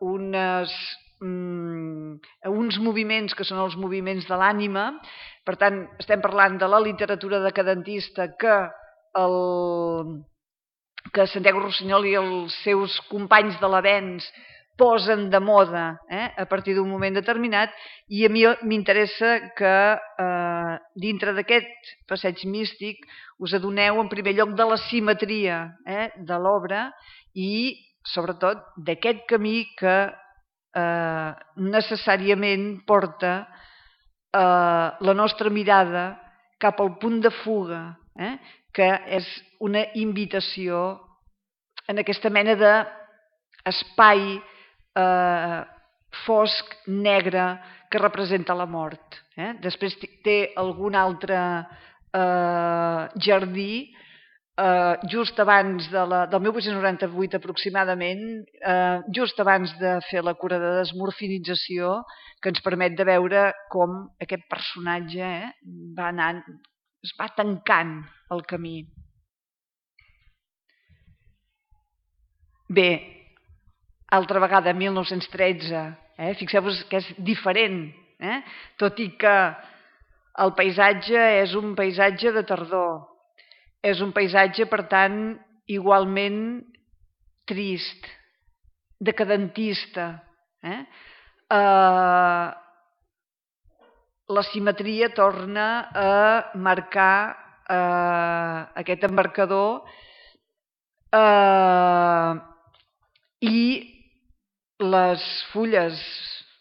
unes, mm, a uns moviments que són els moviments de l'ànima. Per tant, estem parlant de la literatura decadentista que, el, que Santiago Rossinyol i els seus companys de l'avenç posen de moda eh, a partir d'un moment determinat, i a mi m'interessa que eh, dintre d'aquest passeig místic us adoneu en primer lloc de la simetria eh, de l'obra i sobretot d'aquest camí que eh, necessàriament porta eh, la nostra mirada cap al punt de fuga, eh, que és una invitació en aquesta mena d'espai eh, fosc, negre, que representa la mort. Eh? Després té algun altre eh, jardí eh, just abans de la, del mil vuit-cents noranta-vuit aproximadament, eh, just abans de fer la cura de desmorfinització, que ens permet de veure com aquest personatge eh, va anant, es va tancant el camí. Bé, altra vegada, mil nou-cents tretze, eh? Fixeu-vos que és diferent, eh? Tot i que el paisatge és un paisatge de tardor, és un paisatge, per tant, igualment trist, decadentista. Eh? Eh, la simetria torna a marcar eh, aquest embarcador eh, i les fulles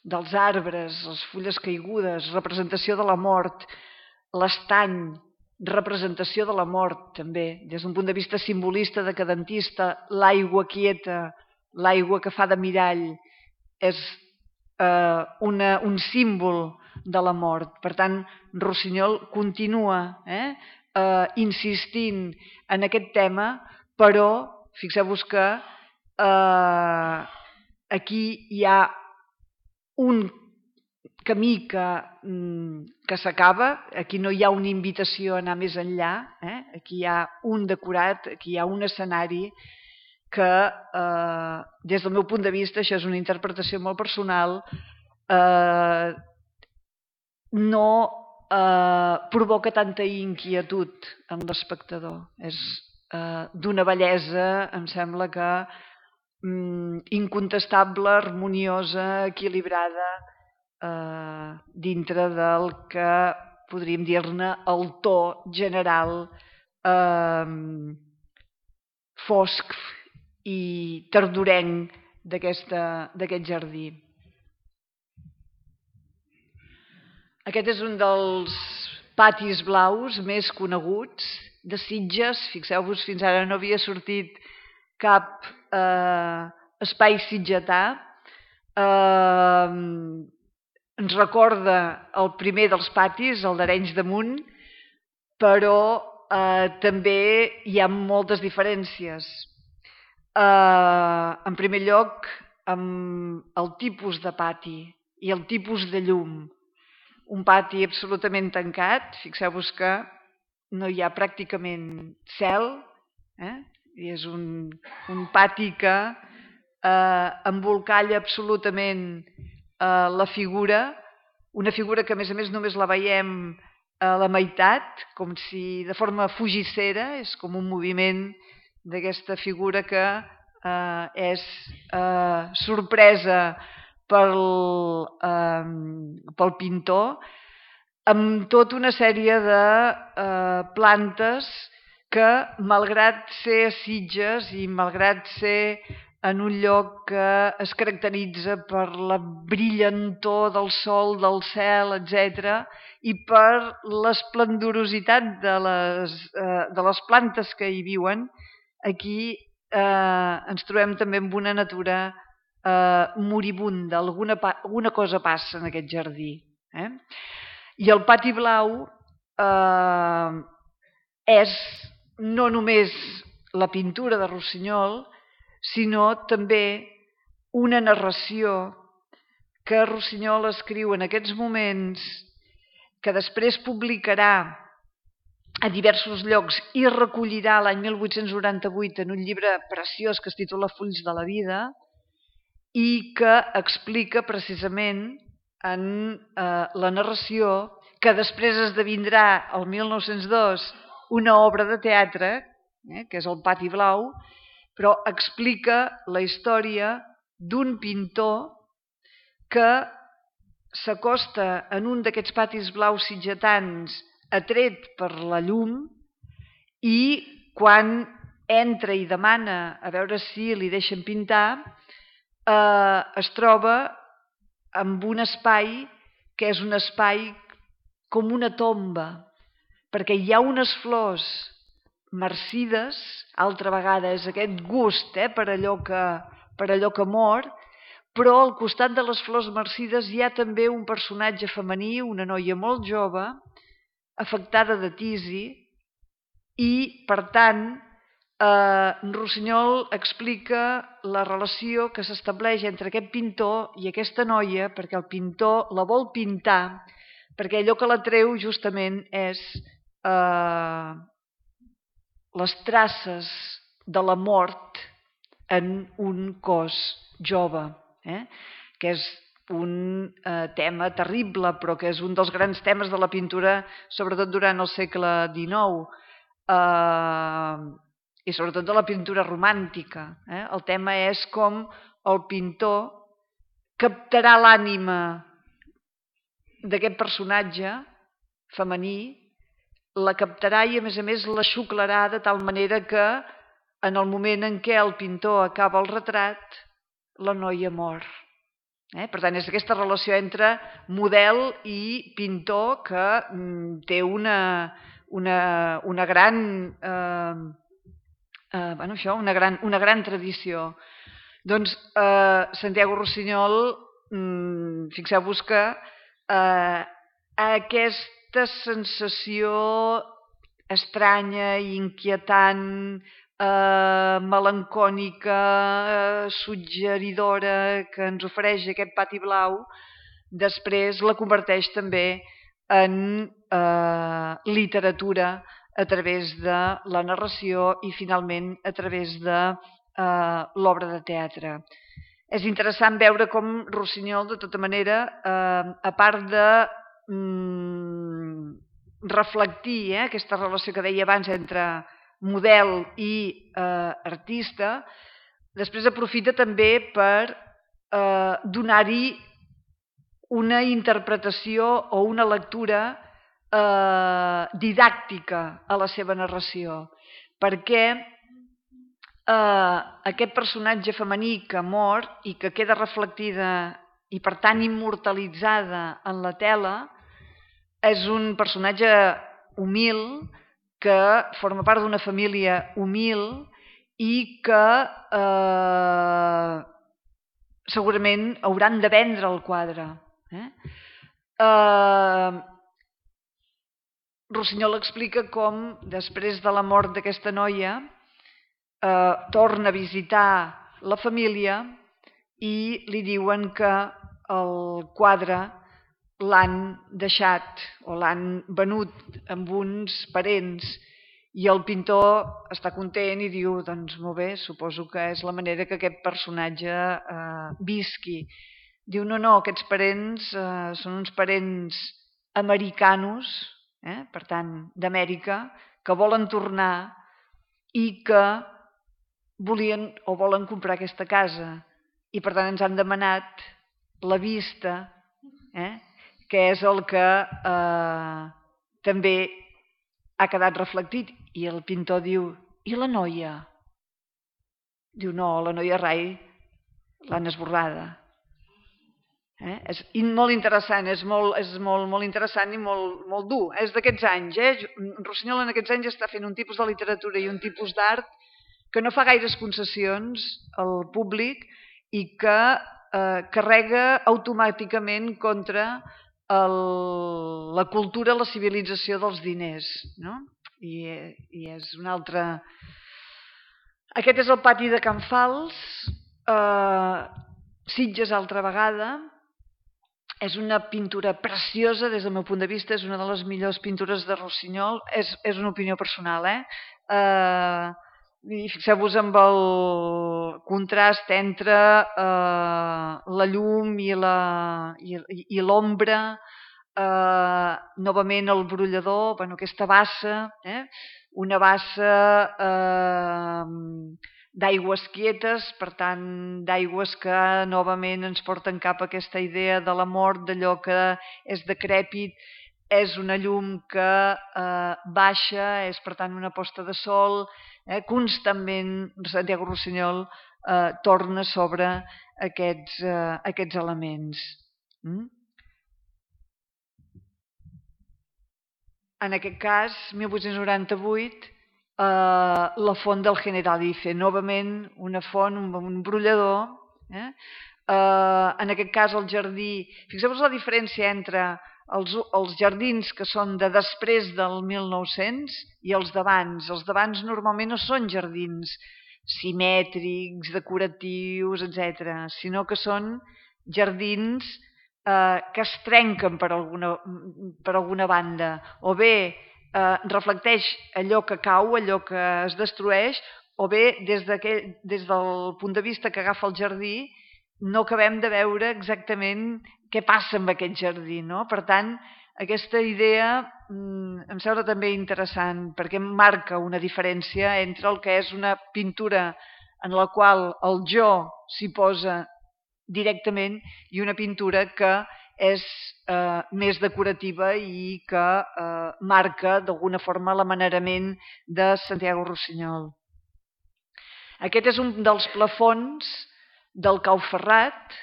dels arbres, les fulles caigudes, representació de la mort, l'estany, representació de la mort també, des d'un punt de vista simbolista, decadentista, l'aigua quieta, l'aigua que fa de mirall, és eh, una, un símbol de la mort. Per tant, Rossinyol continua eh, eh, insistint en aquest tema, però fixeu-vos que eh, aquí hi ha un camí que, que s'acaba, aquí no hi ha una invitació a anar més enllà, eh? Aquí hi ha un decorat, aquí hi ha un escenari que, eh, des del meu punt de vista, això és una interpretació molt personal, eh, no eh, provoca tanta inquietud en l'espectador. És eh, d'una bellesa, em sembla que mm, incontestable, harmoniosa, equilibrada, eh, dintre del que podríem dir-ne el to general eh, fosc i tardorenc d'aquest jardí. Aquest és un dels patis blaus més coneguts de Sitges. Fixeu-vos, fins ara no havia sortit cap eh, espai sitgetà. Eh, ens recorda el primer dels patis, el d'Arenys de Munt, però eh, també hi ha moltes diferències. Eh, en primer lloc, amb el tipus de pati i el tipus de llum. Un pati absolutament tancat, fixeu-vos que no hi ha pràcticament cel, eh? I és un, un pati que eh, embolcalla absolutament eh, la figura, una figura que a més a més només la veiem a la meitat, com si de forma fugissera, és com un moviment d'aquesta figura que eh, és eh, sorpresa pel, eh, pel pintor, amb tota una sèrie de eh, plantes que, malgrat ser a Sitges i malgrat ser en un lloc que es caracteritza per la brillantor del sol, del cel, etcètera, i per l'esplendorositat de les, eh, de les plantes que hi viuen, aquí eh, ens trobem també amb una natura eh, moribunda, alguna, alguna cosa passa en aquest jardí. Eh? I el pati blau eh, és no només la pintura de Rossinyol, sinó també una narració que Rossinyol escriu en aquests moments, que després publicarà a diversos llocs i recollirà l'any mil vuit-cents noranta-vuit en un llibre preciós que es titula Fulls de la vida i que explica precisament en eh, la narració que després esdevindrà el mil nou-cents dos una obra de teatre, eh, que és el Pati Blau, però explica la història d'un pintor que s'acosta en un d'aquests patis blaus sitgetans atret per la llum i quan entra i demana a veure si li deixen pintar, eh, es troba amb un espai que és un espai com una tomba, perquè hi ha unes flors marcides, altra vegada és aquest gust eh, per, allò que, per allò que mor, però al costat de les flors marcides hi ha també un personatge femení, una noia molt jove, afectada de tisi, i per tant eh, Rossinyol explica la relació que s'estableix entre aquest pintor i aquesta noia, perquè el pintor la vol pintar, perquè allò que l'atreu justament és eh, les traces de la mort en un cos jove, eh? que és un eh, tema terrible, però que és un dels grans temes de la pintura, sobretot durant el segle dinou, eh, i sobretot de la pintura romàntica. Eh? El tema és com el pintor captarà l'ànima d'aquest personatge femení, la captarà i a més a més la xuclarà de tal manera que en el moment en què el pintor acaba el retrat, la noia mor. Eh? Per tant, és aquesta relació entre model i pintor que mm, té una, una, una gran... Eh, eh, bueno, això, una gran, una gran tradició. Doncs eh, Santiago Rossinyol, mm, fixeu-vos que eh, aquesta sensació estranya, inquietant, eh, melancònica, eh, suggeridora que ens ofereix aquest pati blau, després la converteix també en eh, literatura a través de la narració i finalment a través de eh, l'obra de teatre. És interessant veure com Rossinyol, de tota manera, eh, a part de mm, reflectir eh, aquesta relació que deia abans entre model i eh, artista, després aprofita també per eh, donar-hi una interpretació o una lectura eh, didàctica a la seva narració, perquè eh, aquest personatge femení que mor i que queda reflectida i per tant immortalitzada en la tela és un personatge humil que forma part d'una família humil i que eh, segurament hauran de vendre el quadre. Eh? Eh, Rossinyol explica com, després de la mort d'aquesta noia, eh, torna a visitar la família i li diuen que el quadre l'han deixat o l'han venut amb uns parents i el pintor està content i diu, doncs molt bé, suposo que és la manera que aquest personatge eh, visqui. Diu, no, no, aquests parents eh, són uns parents americanos, eh, per tant, d'Amèrica, que volen tornar i que volien o volen comprar aquesta casa i per tant ens han demanat la vista, eh, que és el que eh, també ha quedat reflectit. I el pintor diu, i la noia? Diu, no, la noia rai l'han esborrada. Eh? És molt interessant, és molt, és molt, molt interessant i molt, molt dur. És d'aquests anys. Eh? Rossinyol en aquests anys està fent un tipus de literatura i un tipus d'art que no fa gaires concessions al públic i que eh, carrega automàticament contra el, la cultura, la civilització dels diners. No? I, I és un altre... Aquest és el pati de Can Fals, eh, Sitges altra vegada. És una pintura preciosa des del meu punt de vista, és una de les millors pintures de Rossinyol, és, és una opinió personal, eh? eh I fixeu-vos amb el contrast entre eh, la llum i l'ombra, eh, novament el brollador, bueno, aquesta bassa, eh? una bassa eh, d'aigües quietes, per tant, d'aigües que novament ens porten cap a aquesta idea de la mort, d'allò que és decrèpit, és una llum que eh, baixa, és per tant una posta de sol, eh, constantment Santiago Rossinyol eh, torna sobre aquests, eh, aquests elements. Mm? En aquest cas, mil vuit-cents noranta-vuit, eh, la font del Generalife, novament una font, un, un brollador. Eh? Eh, en aquest cas, el jardí... Fixeu-vos la diferència entre els, els jardins que són de després del mil nou-cents i els d'abans. Els d'abans normalment no són jardins simètrics, decoratius, etcètera, sinó que són jardins eh, que es trenquen per alguna, per alguna banda, o bé eh, reflecteix allò que cau, allò que es destrueix, o bé des, des del punt de vista que agafa el jardí no acabem de veure exactament què passa amb aquest jardí. No? Per tant, aquesta idea mm, em sembla també interessant perquè marca una diferència entre el que és una pintura en la qual el jo s'hi posa directament i una pintura que és eh, més decorativa i que eh, marca d'alguna forma l'amanerament de Santiago Rossinyol. Aquest és un dels plafons del Cau Ferrat,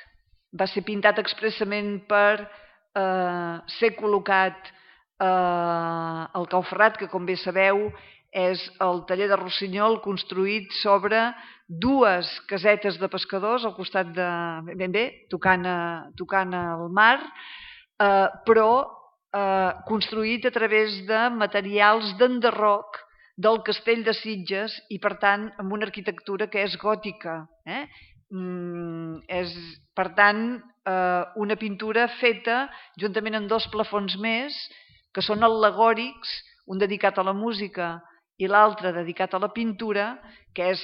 va ser pintat expressament per eh, ser col·locat eh, al Cau Ferrat, que com bé sabeu és el taller de Rossinyol construït sobre dues casetes de pescadors al costat de, ben bé, tocant, a, tocant al mar, eh, però eh, construït a través de materials d'enderroc del castell de Sitges i, per tant, amb una arquitectura que és gòtica. Eh? Mm, és, per tant, eh, una pintura feta juntament amb dos plafons més que són al·legòrics, un dedicat a la música i l'altre dedicat a la pintura, que és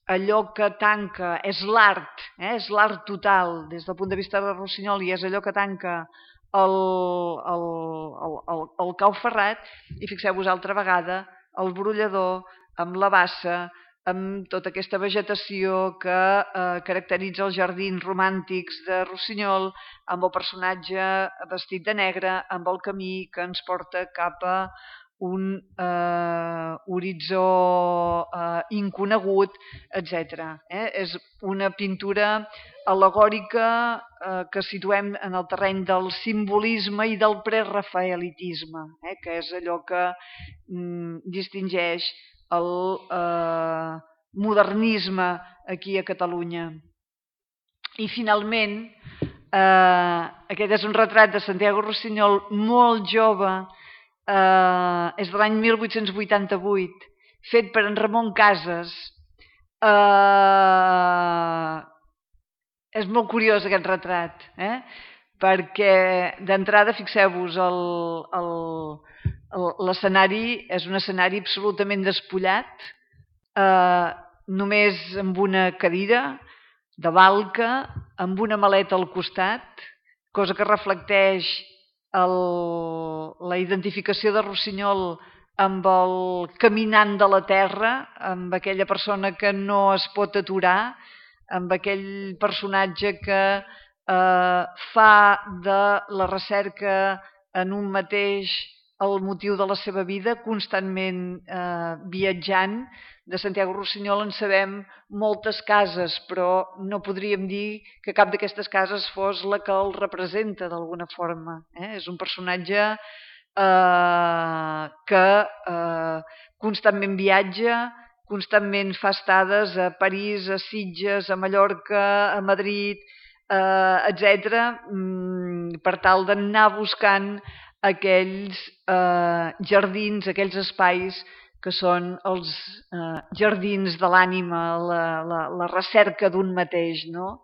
allò que tanca, és l'art, eh? és l'art total des del punt de vista de Rossinyol i és allò que tanca el, el, el, el, el Cau Ferrat. I fixeu-vos altra vegada el brollador amb la bassa, amb tota aquesta vegetació que eh, caracteritza els jardins romàntics de Rossinyol, amb el personatge vestit de negre, amb el camí que ens porta cap a un eh, horitzó eh, inconegut, etcètera. Eh? És una pintura al·legòrica eh, que situem en el terreny del simbolisme i del prerafaelitisme, eh? que és allò que mm, distingeix el eh, modernisme aquí a Catalunya. I finalment, eh, aquest és un retrat de Santiago Rossinyol molt jove, eh, és de l'any mil vuit-cents vuitanta-vuit, fet per en Ramon Casas. Eh, és molt curiós aquest retrat, eh? perquè d'entrada, fixeu-vos, l'escenari és un escenari absolutament despullat, eh, només amb una cadira de balca, amb una maleta al costat, cosa que reflecteix el, la identificació de Rossinyol amb el caminant de la terra, amb aquella persona que no es pot aturar, amb aquell personatge que eh, fa de la recerca en un mateix el motiu de la seva vida, constantment eh, viatjant. De Santiago Rossinyol en sabem moltes cases, però no podríem dir que cap d'aquestes cases fos la que el representa d'alguna forma. Eh? És un personatge eh, que eh, constantment viatja, constantment fa estades a París, a Sitges, a Mallorca, a Madrid, eh, etcètera, per tal d'anar buscant aquells eh, jardins, aquells espais que són els eh, jardins de l'ànima, la, la, la recerca d'un mateix. No?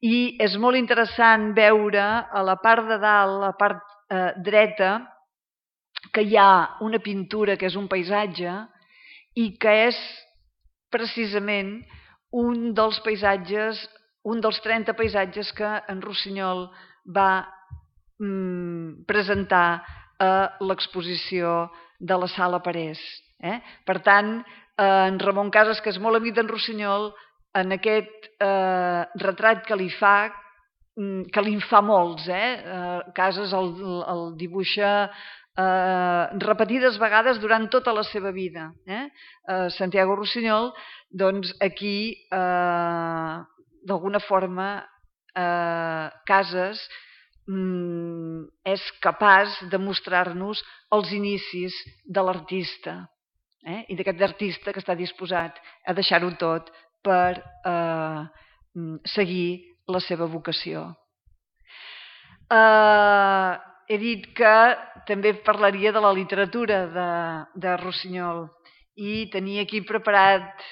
I és molt interessant veure a la part de dalt, a la part eh, dreta, que hi ha una pintura que és un paisatge i que és precisament un dels paisatges, un dels trenta paisatges que en Rossinyol va mm, presentar a l'exposició de la Sala Parés. Eh? Per tant, en Ramon Casas, que és molt amic d'en Rossinyol, en aquest eh, retrat que li fa, que li en fa molts, eh? Casas el, el dibuixa eh, repetides vegades durant tota la seva vida. Eh? Eh, Santiago Rossinyol, doncs aquí, eh, d'alguna forma, eh, Casas mm, és capaç de mostrar-nos els inicis de l'artista, eh? I d'aquest artista que està disposat a deixar-ho tot per eh, seguir la seva vocació. Eh, he dit que també parlaria de la literatura de, de Rossinyol i tenia aquí preparat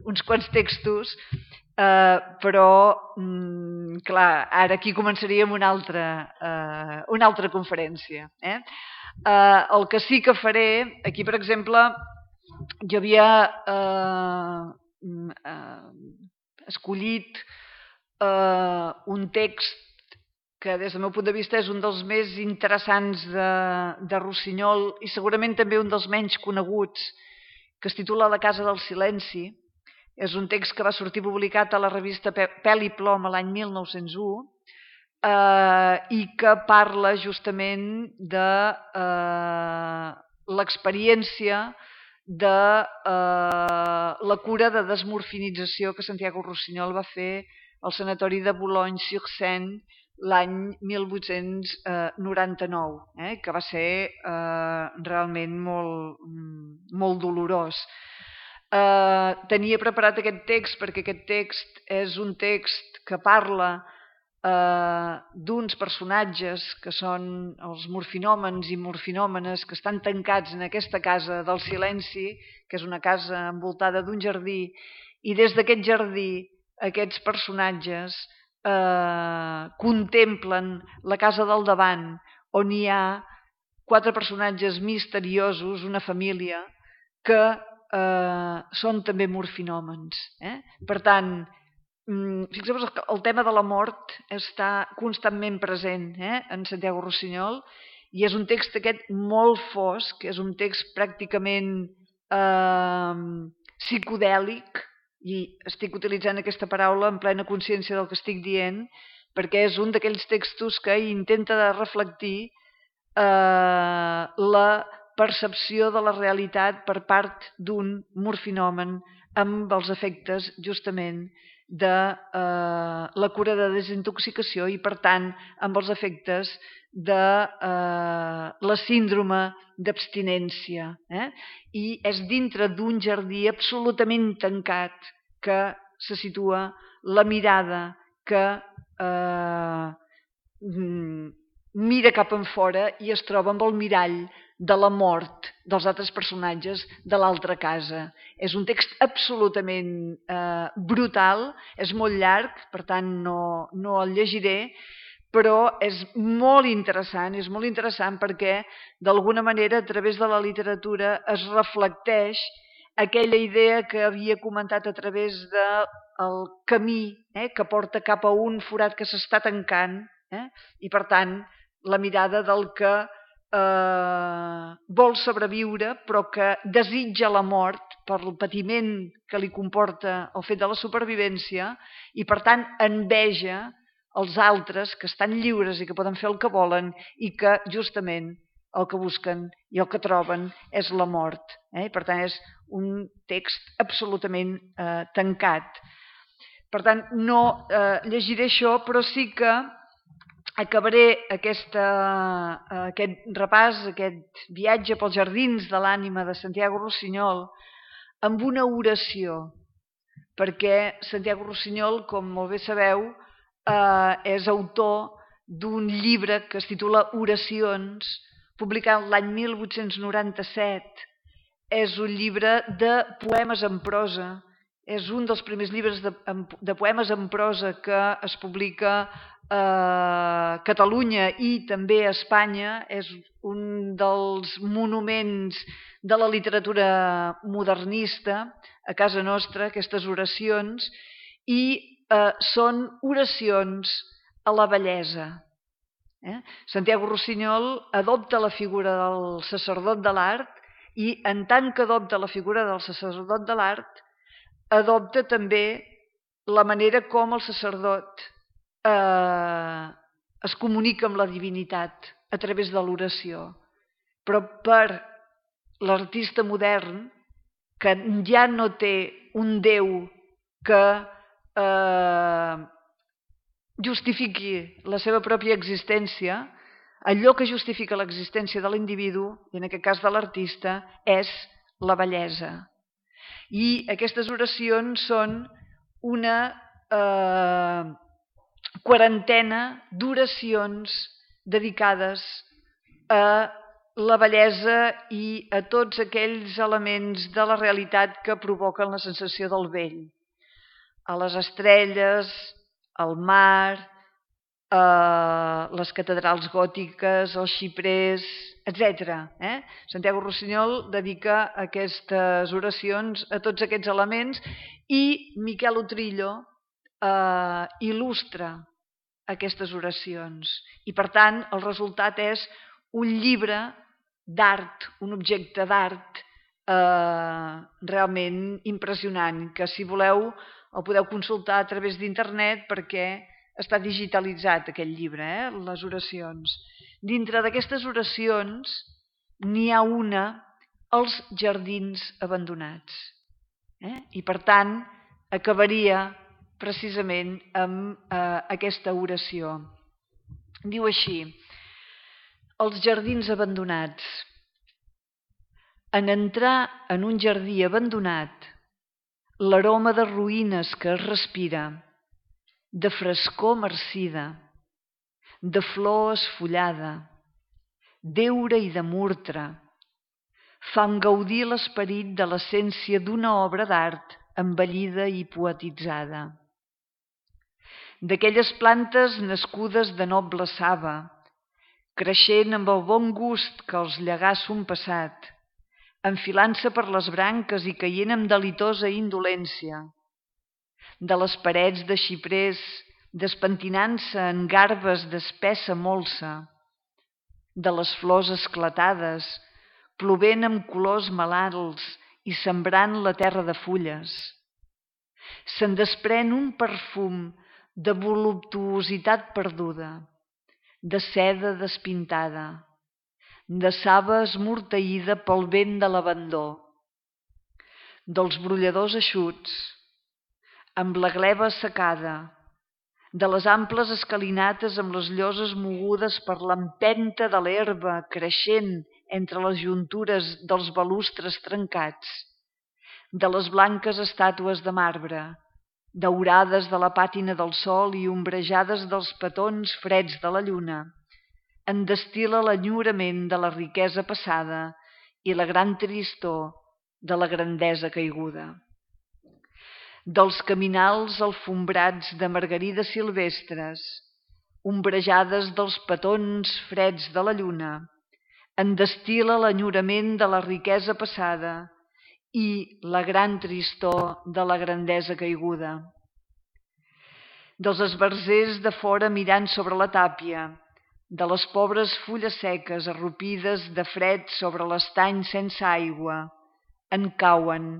uns quants textos, eh, però, mm, clar, ara aquí començaríem una altra, eh, una altra conferència. Eh? Eh, el que sí que faré, aquí per exemple, jo havia eh, eh, escollit Uh, un text que des del meu punt de vista és un dels més interessants de, de Rossinyol i segurament també un dels menys coneguts, que es titula La casa del silenci. És un text que va sortir publicat a la revista Pèl i Plom l'any mil nou-cents u eh, i que parla justament de eh, l'experiència de eh, la cura de desmorfinització que Santiago Rossinyol va fer al sanatori de Boulogne-sur-Seine l'any mil vuit-cents noranta-nou, eh, que va ser eh, realment molt, molt dolorós. Eh, tenia preparat aquest text perquè aquest text és un text que parla eh, d'uns personatges que són els morfinòmens i morfinòmenes que estan tancats en aquesta casa del silenci, que és una casa envoltada d'un jardí, i des d'aquest jardí aquests personatges eh, contemplen la casa del davant, on hi ha quatre personatges misteriosos, una família, que eh, són també morfinòmens. Eh? Per tant, fixeu-vos que el tema de la mort està constantment present eh, en Santiago Rossinyol i és un text aquest molt fosc, és un text pràcticament eh, psicodèlic, i estic utilitzant aquesta paraula en plena consciència del que estic dient, perquè és un d'aquells textos que intenta de reflectir eh, la percepció de la realitat per part d'un morfinòmen amb els efectes justament de eh, la cura de desintoxicació i per tant amb els efectes de eh, la síndrome d'abstinència. Eh? I és dintre d'un jardí absolutament tancat que se situa la mirada que eh, mira cap enfora i es troba amb el mirall de la mort dels altres personatges de l'altra casa. És un text absolutament eh, brutal, és molt llarg, per tant no, no el llegiré, però és molt interessant, és molt interessant perquè d'alguna manera a través de la literatura es reflecteix aquella idea que havia comentat a través del camí eh, que porta cap a un forat que s'està tancant eh, i per tant la mirada del que eh, vol sobreviure però que desitja la mort per el patiment que li comporta el fet de la supervivència i per tant enveja els altres que estan lliures i que poden fer el que volen i que justament el que busquen i el que troben és la mort. Eh? Per tant, és un text absolutament eh, tancat. Per tant, no eh, llegiré això, però sí que acabaré aquesta, eh, aquest repàs, aquest viatge pels jardins de l'ànima de Santiago Rossinyol amb una oració, perquè Santiago Rossinyol, com molt bé sabeu, eh, és autor d'un llibre que es titula Oracions, publicat l'any mil vuit-cents noranta-set. És un llibre de poemes en prosa. És un dels primers llibres de, de poemes en prosa que es publica a Catalunya i també a Espanya. És un dels monuments de la literatura modernista a casa nostra, aquestes oracions, i eh, són oracions a la bellesa. Eh? Santiago Rossinyol adopta la figura del sacerdot de l'art I en tant que adopta la figura del sacerdot de l'art, adopta també la manera com el sacerdot eh, es comunica amb la divinitat a través de l'oració. Però per l'artista modern, que ja no té un Déu que eh, justifiqui la seva pròpia existència, allò que justifica l'existència de l'individu, i en aquest cas de l'artista, és la bellesa. I aquestes oracions són una eh, quarantena d'oracions dedicades a la bellesa i a tots aquells elements de la realitat que provoquen la sensació del vell. A les estrelles, al mar, a les catedrals gòtiques, als xiprers, etcètera. Eh? Santiago Rossinyol dedica aquestes oracions a tots aquests elements i Miquel Utrillo eh, il·lustra aquestes oracions. I per tant el resultat és un llibre d'art, un objecte d'art eh, realment impressionant, que si voleu el podeu consultar a través d'internet perquè està digitalitzat aquest llibre, eh? Les oracions. Dintre d'aquestes oracions n'hi ha una, els jardins abandonats. Eh? I per tant acabaria precisament amb eh, aquesta oració. Diu així: els jardins abandonats. En entrar en un jardí abandonat, l'aroma de ruïnes que es respira, de frescor marcida, de flor esfollada, d'heura i de murtre, fan gaudir l'esperit de l'essència d'una obra d'art embellida i poetitzada. D'aquelles plantes nascudes de noble saba, creixent amb el bon gust que els llegà son passat, enfilant-se per les branques i caient amb delitosa indolència, de les parets de xiprers despentinant-se en garbes d'espessa molsa, de les flors esclatades, plovent amb colors malalts i sembrant la terra de fulles. Se'n desprèn un perfum de voluptuositat perduda, de seda despintada, de saba esmorteïda pel vent de l'abandó, dels brolladors eixuts, amb la gleva assecada, de les amples escalinates amb les lloses mogudes per l'empenta de l'herba creixent entre les juntures dels balustres trencats, de les blanques estàtues de marbre, daurades de la pàtina del sol i ombrejades dels petons freds de la lluna, en destil·la l'enyorament de la riquesa passada i la gran tristor de la grandesa caiguda. Dels caminals alfombrats de margarides silvestres, ombrejades dels petons freds de la lluna, en destil·la l'enyorament de la riquesa passada i la gran tristor de la grandesa caiguda. Dels esbarzers de fora mirant sobre la tàpia, de les pobres fulles seques arrupides de fred sobre l'estany sense aigua, en cauen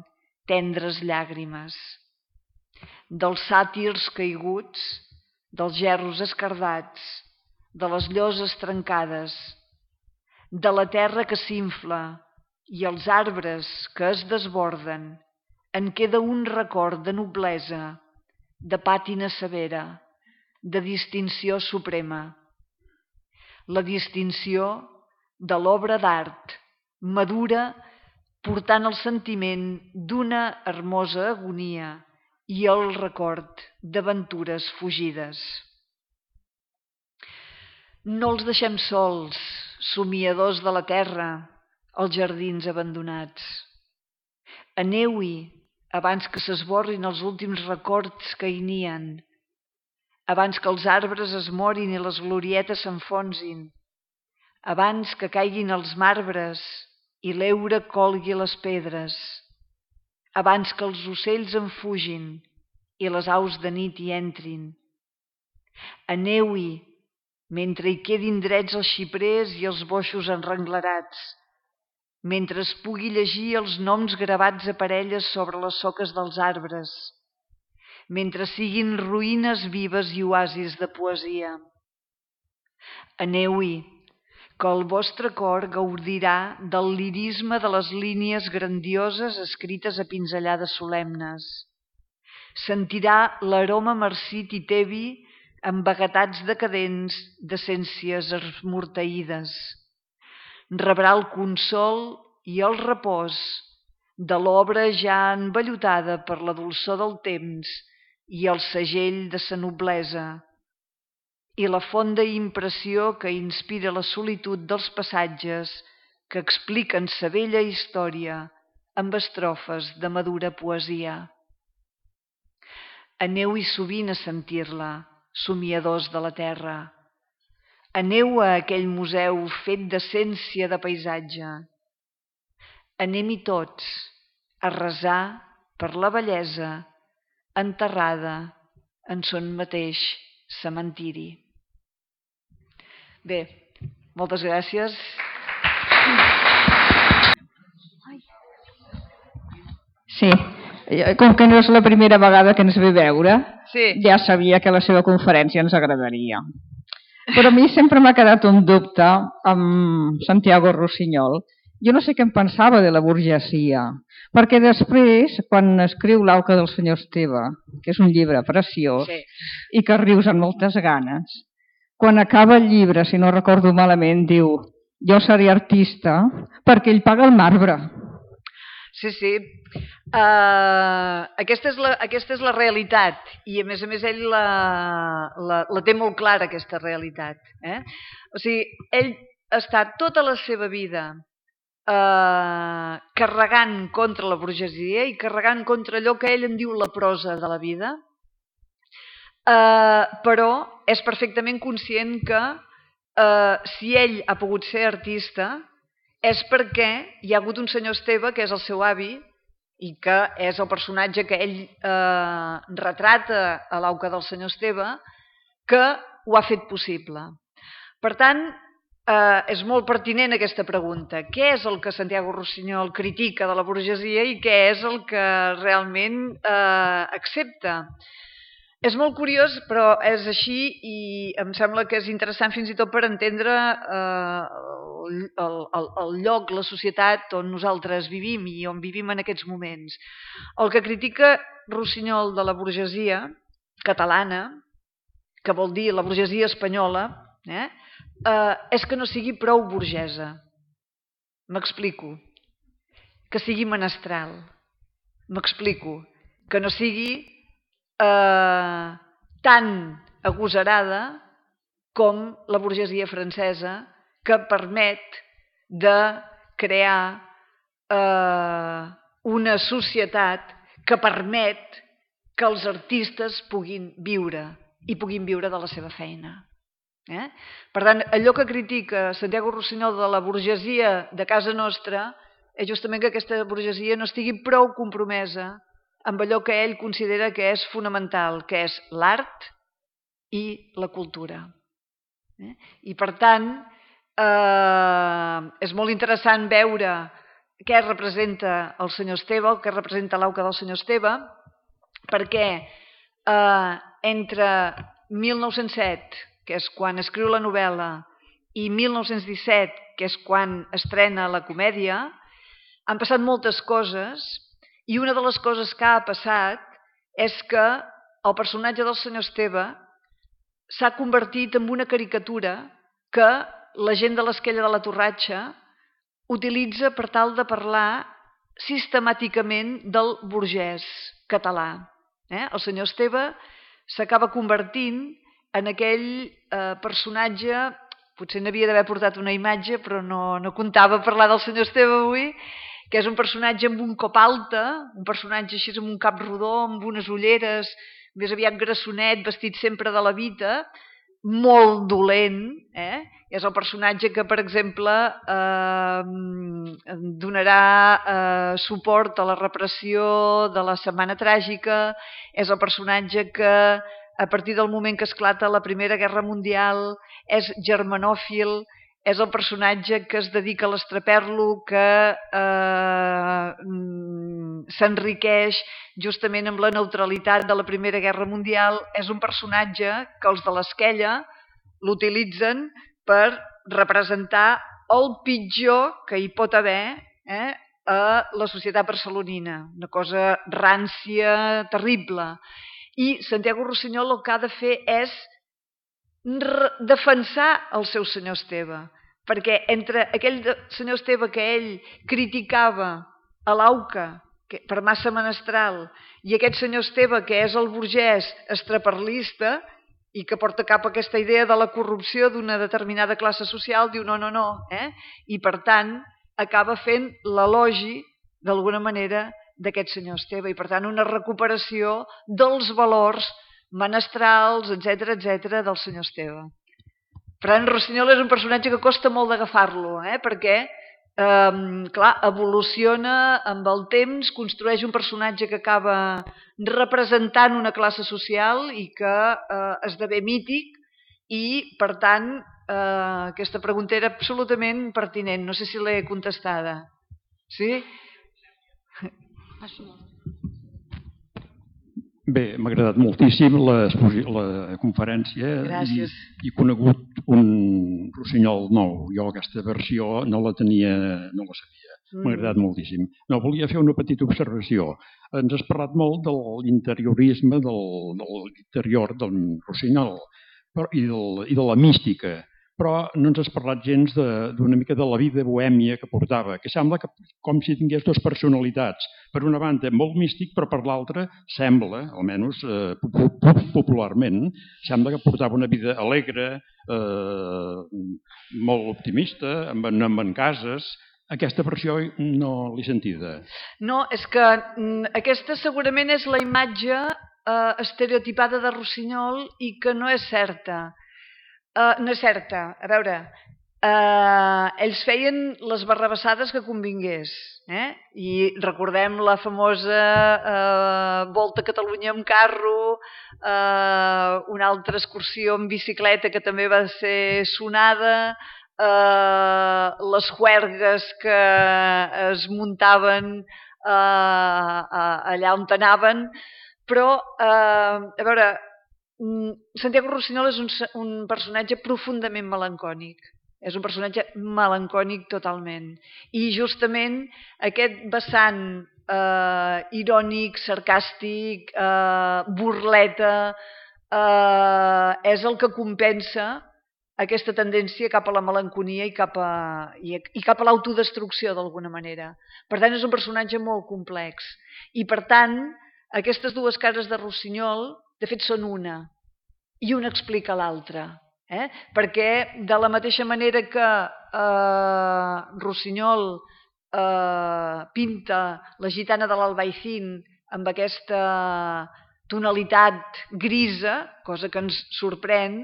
tendres llàgrimes. Dels sàtirs caiguts, dels gerros escardats, de les lloses trencades, de la terra que s'infla i els arbres que es desborden, en queda un record de noblesa, de pàtina severa, de distinció suprema. La distinció de l'obra d'art madura portant el sentiment d'una hermosa agonia i el record d'aventures fugides. No els deixem sols, somiadors de la terra, els jardins abandonats. Aneu-hi abans que s'esborrin els últims records que hi nien, abans que els arbres es morin i les glorietes s'enfonsin, abans que caiguin els marbres i l'heura colgui les pedres, abans que els ocells en fugin i les aus de nit hi entrin. Aneu-hi mentre hi quedin drets els xiprers i els boixos enrenglerats, mentre es pugui llegir els noms gravats a parelles sobre les soques dels arbres, mentre siguin ruïnes vives i oasis de poesia. Aneu-hi, que el vostre cor gaudirà del lirisme de les línies grandioses escrites a pinzellades solemnes. Sentirà l'aroma marcit i tebi amb vaguetats decadents d'essències esmorteïdes. Rebrà el consol i el repòs de l'obra ja envellutada per la dolçor del temps i el segell de sa noblesa, i la fonda impressió que inspira la solitud dels passatges que expliquen sa bella història amb estrofes de madura poesia. Aneu-hi sovint a sentir-la, somiadors de la terra. Aneu a aquell museu fet d'essència de paisatge. Anem-hi tots a resar per la bellesa enterrada en son mateix cementiri. Bé, moltes gràcies. Sí, com que no és la primera vegada que ens ve veure, sí. Ja sabia que la seva conferència ens agradaria. Però a mi sempre m'ha quedat un dubte amb Santiago Rusiñol. Jo no sé què em pensava de la burgesia, perquè després, quan escriu L'auca del senyor Esteve, que és un llibre preciós, Sí. i que rius amb moltes ganes, quan acaba el llibre, si no recordo malament, diu: jo seré artista perquè ell paga el marbre. Sí, sí. Uh, aquesta, és la, aquesta és la realitat i a més a més ell la, la, la té molt clara, aquesta realitat. Eh? O sigui, ell està tota la seva vida uh, carregant contra la burgesia i carregant contra allò que ell en diu la prosa de la vida, uh, però és perfectament conscient que uh, si ell ha pogut ser artista és perquè hi ha hagut un senyor Esteve, que és el seu avi, i que és el personatge que ell eh, retrata a l'auca del senyor Esteve, que ho ha fet possible. Per tant, eh, és molt pertinent aquesta pregunta. Què és el que Santiago Rusiñol critica de la burgesia i què és el que realment eh, accepta? És molt curiós, però és així i em sembla que és interessant fins i tot per entendre eh, el, el, el lloc, la societat on nosaltres vivim i on vivim en aquests moments. El que critica Rusiñol de la burgesia catalana, que vol dir la burgesia espanyola, eh, eh, és que no sigui prou burgesa. M'explico. Que sigui menestral. M'explico. Que no sigui Eh, tan agosarada com la burgesia francesa, que permet de crear eh, una societat que permet que els artistes puguin viure i puguin viure de la seva feina. Eh? Per tant, allò que critica Santiago Rusiñol de la burgesia de casa nostra és justament que aquesta burgesia no estigui prou compromesa amb allò que ell considera que és fonamental, que és l'art i la cultura. Eh? I per tant, eh, és molt interessant veure què representa el senyor Esteve, què representa l'auca del senyor Esteve, perquè eh, entre mil nou-cents set, que és quan escriu la novel·la, i mil nou-cents disset, que és quan estrena la comèdia, han passat moltes coses. I una de les coses que ha passat és que el personatge del senyor Esteve s'ha convertit en una caricatura que la gent de l'Esquella de la Torratxa utilitza per tal de parlar sistemàticament del burgès català. Eh? El senyor Esteve s'acaba convertint en aquell eh, personatge, potser n'havia d'haver portat una imatge, però no, no comptava parlar del senyor Esteve avui, que és un personatge amb un cop alta, un personatge així amb un cap rodó, amb unes ulleres, més aviat grassonet, vestit sempre de la vita, molt dolent. Eh? És el personatge que, per exemple, eh, donarà eh, suport a la repressió de la Setmana Tràgica, és el personatge que, a partir del moment que esclata la Primera Guerra Mundial, és germanòfil, és el personatge que es dedica a l'estraperlo, que eh, s'enriqueix justament amb la neutralitat de la Primera Guerra Mundial. És un personatge que els de l'Esquella l'utilitzen per representar el pitjor que hi pot haver eh, a la societat barcelonina, una cosa rància, terrible. I Santiago Rossinyol el que ha de fer és defensar el seu senyor Esteve, perquè entre aquell senyor Esteve que ell criticava a l'Auca per massa menestral i aquest senyor Esteve que és el burgès estraperlista i que porta cap a aquesta idea de la corrupció d'una determinada classe social, diu no, no, no, eh? I per tant acaba fent l'elogi d'alguna manera d'aquest senyor Esteve i per tant una recuperació dels valors menestrals, etcètera, etcètera, del senyor Esteve. Per tant, Rossinyol és un personatge que costa molt d'agafar-lo, eh? perquè, eh, clar, evoluciona amb el temps, construeix un personatge que acaba representant una classe social i que eh, esdevé mític i, per tant, eh, aquesta pregunta era absolutament pertinent. No sé si l'he contestada. Sí? Bé, m'ha agradat moltíssim la, la conferència i, i conegut un Rossinyol nou. Jo aquesta versió no la tenia, no la sabia. M'ha agradat moltíssim. No, volia fer una petita observació. Ens has parlat molt de l'interiorisme, del, de l'interior del Rossinyol i, del, i de la mística, però no ens has parlat gens d'una mica de la vida bohèmia que portava, que sembla que com si tingués dues personalitats. Per una banda, molt místic, però per l'altra sembla, almenys eh, popularment, sembla que portava una vida alegre, eh, molt optimista, amb, amb en cases. Aquesta versió no l'he sentida. No, és que aquesta segurament és la imatge eh, estereotipada de Rossinyol i que no és certa. Uh, no és certa. A veure, uh, ells feien les barrabassades que convingués. Eh? I recordem la famosa uh, Volta a Catalunya amb carro, uh, una altra excursió en bicicleta que també va ser sonada, uh, les juergues que es muntaven uh, uh, allà on anaven, però, uh, a veure, Santiago Rossinyol és un, un personatge profundament melancònic. És un personatge melancònic totalment. I justament aquest vessant eh, irònic, sarcàstic, eh, burleta, eh, és el que compensa aquesta tendència cap a la melanconia i cap a, i, i cap a l'autodestrucció d'alguna manera. Per tant, és un personatge molt complex. I per tant, aquestes dues cares de Rossinyol de fet són una, i una explica l'altra. Eh? Perquè de la mateixa manera que eh, Rossinyol eh, pinta la gitana de l'Albaicín amb aquesta tonalitat grisa, cosa que ens sorprèn,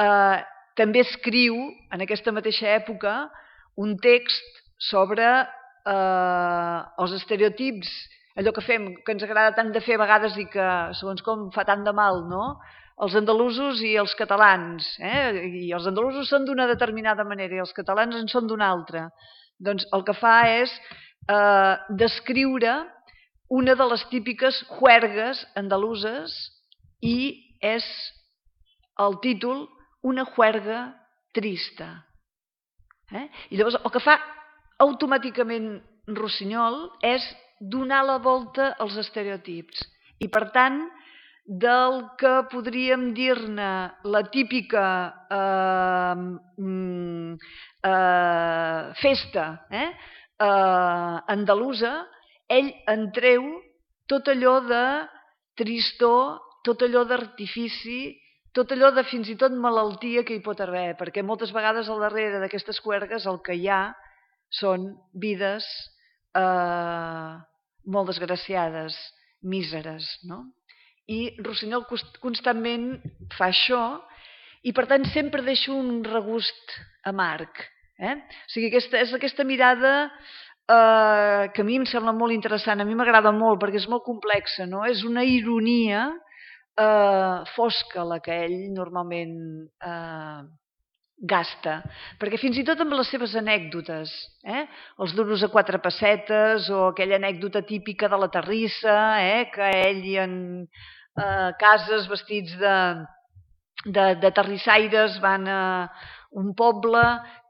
eh, també escriu en aquesta mateixa època un text sobre eh, els estereotips, allò que fem, que ens agrada tant de fer a vegades i que, segons com, fa tant de mal, no? Els andalusos i els catalans. Eh? I els andalusos són d'una determinada manera i els catalans en són d'una altra. Doncs el que fa és eh, descriure una de les típiques juergues andaluses i és el títol Una juerga trista. Eh? I llavors el que fa automàticament Rossinyol és donar la volta als estereotips i, per tant, del que podríem dir-ne la típica eh, eh, festa eh, eh, andalusa, ell en treu tot allò de tristor, tot allò d'artifici, tot allò de fins i tot malaltia que hi pot haver, perquè moltes vegades al darrere d'aquestes juergues el que hi ha són vides eh, molt desgraciades, míseres, no? I Rossinyol constantment fa això i, per tant, sempre deixa un regust amarg. Eh? O sigui, aquesta, és aquesta mirada eh, que a mi em sembla molt interessant, a mi m'agrada molt perquè és molt complexa, no? És una ironia eh, fosca la que ell normalment eh, gasta, perquè fins i tot amb les seves anècdotes, eh? els duros a quatre pessetes o aquella anècdota típica de la terrissa, eh? que ell i en eh, cases vestits de, de, de terrissaires van a un poble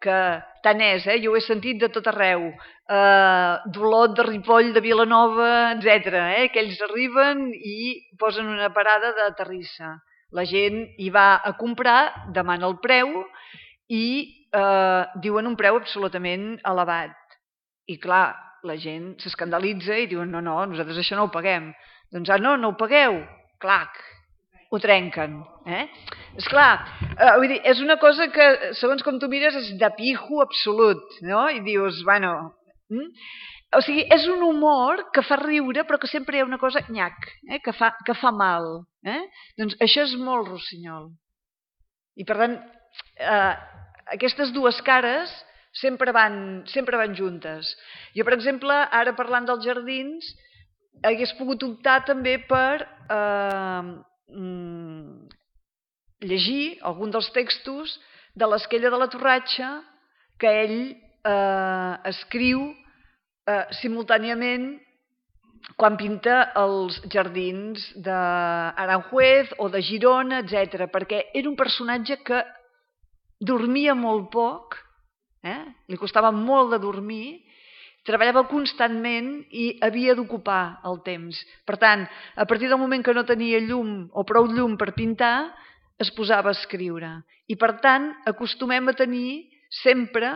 que tant és, eh? jo ho he sentit de tot arreu, eh, d'Olot, de Ripoll, de Vilanova, etcètera, eh? que ells arriben i posen una parada de terrissa. La gent hi va a comprar, demana el preu i eh, diuen un preu absolutament elevat. I clar, la gent s'escandalitza i diuen no, no, nosaltres això no ho paguem. Doncs ah, no, no ho pagueu. Clar, ho trenquen. Eh? Esclar, eh, vull dir, és una cosa que, segons com tu mires, és de pijo absolut, no? I dius, bueno... Mm? O sigui, és un humor que fa riure, però que sempre hi ha una cosa nyac, eh? que, fa, que fa mal. Eh? Doncs això és molt Rossinyol. I per tant, eh, aquestes dues cares sempre van, sempre van juntes. Jo, per exemple, ara parlant dels jardins, hagués pogut optar també per eh, mm, llegir algun dels textos de l'Esquella de la Torratxa que ell eh, escriu eh, simultàniament quan pinta els jardins d'Aranjuez o de Girona, etcètera, perquè era un personatge que dormia molt poc, eh? li costava molt de dormir, treballava constantment i havia d'ocupar el temps. Per tant, a partir del moment que no tenia llum o prou llum per pintar, es posava a escriure. I per tant, acostumem a tenir sempre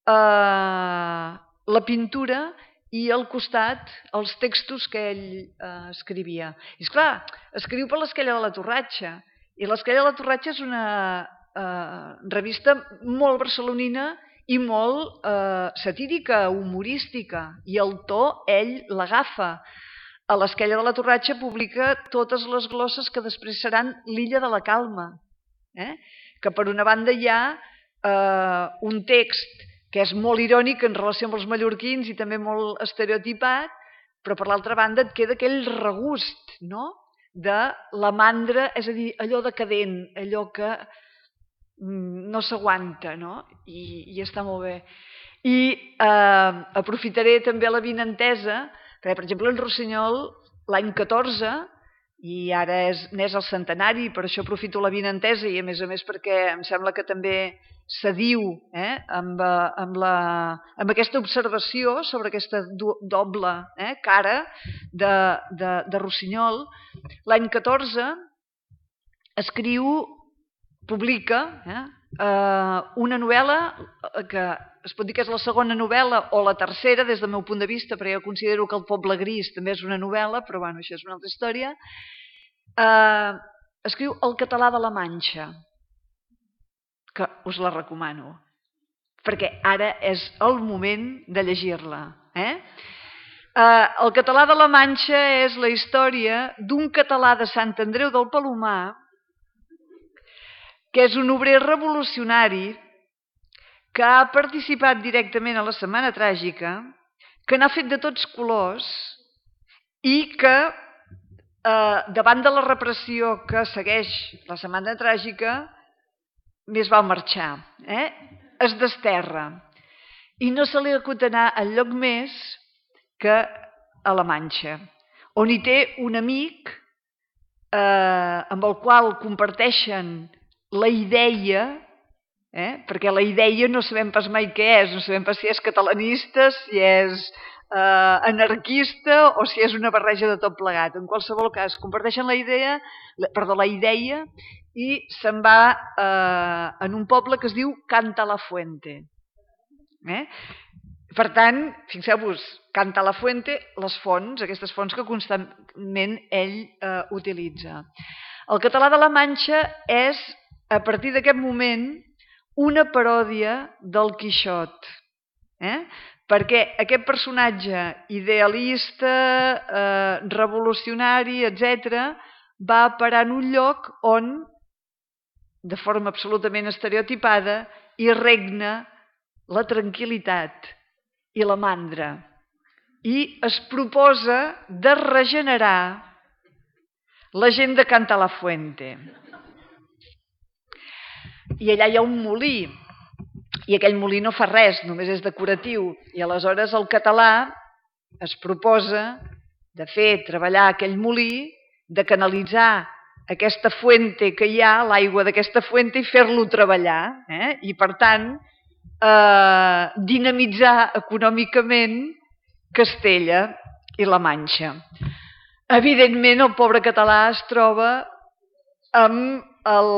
eh, la pintura i al costat els textos que ell eh, escrivia. I esclar, escriu per l'Esquella de la Torratxa. I l'Esquella de la Torratxa és una eh, revista molt barcelonina i molt eh, satírica, humorística. I el to, ell l'agafa. A l'Esquella de la Torratxa publica totes les glosses que després seran l'Illa de la Calma. Eh? Que per una banda hi ha eh, un text que és molt irònic en relació amb els mallorquins i també molt estereotipat, però per l'altra banda et queda aquell regust, no?, de la mandra, és a dir, allò decadent, allò que no s'aguanta, no?, I, i està molt bé. I eh, aprofitaré també la vinentesa, perquè, per exemple, en Rossinyol, l'any catorze, i ara és, n'és el centenari, per això aprofito la vinentesa i a més a més perquè em sembla que també s'adiu eh, amb, amb, la, amb aquesta observació sobre aquesta do, doble eh, cara de, de, de Rossinyol. L'any catorze escriu, publica eh, una novel·la que es pot dir que és la segona novel·la o la tercera des del meu punt de vista, perquè jo considero que El Poble Gris també és una novel·la, però bueno, això és una altra història. Eh, escriu El català de la Manxa, que us la recomano, perquè ara és el moment de llegir-la. Eh? Eh, el català de la Manxa és la història d'un català de Sant Andreu del Palomar, que és un obrer revolucionari que ha participat directament a la Setmana Tràgica, que n'ha fet de tots colors i que, eh, davant de la repressió que segueix la Setmana Tràgica, més val marxar. Eh? Es desterra. I no se li acut anar enlloc més que a la Manxa, on hi té un amic eh, amb el qual comparteixen la idea, eh? perquè la idea no sabem pas mai què és, no sabem pas si és catalanista, si és eh, anarquista o si és una barreja de tot plegat. En qualsevol cas, comparteixen la idea, perdó, la idea i se'n va eh, en un poble que es diu Cantalafuente. Eh? Per tant, fixeu-vos, Cantalafuente, les fonts, aquestes fonts que constantment ell eh, utilitza. El català de la Manxa és, a partir d'aquest moment, una paròdia del Quixot. Eh? Perquè aquest personatge idealista, eh, revolucionari, etcètera, va parar en un lloc on, de forma absolutament estereotipada, hi regna la tranquil·litat i la mandra. I es proposa de regenerar la gent de Cantalafuente. i allà hi ha un molí, i aquell molí no fa res, només és decoratiu, i aleshores el català es proposa de fer treballar aquell molí, de canalitzar aquesta fuente que hi ha, l'aigua d'aquesta fuente, i fer-lo treballar. Eh? I, per tant, eh, dinamitzar econòmicament Castella i la Manxa. Evidentment, el pobre català es troba amb el,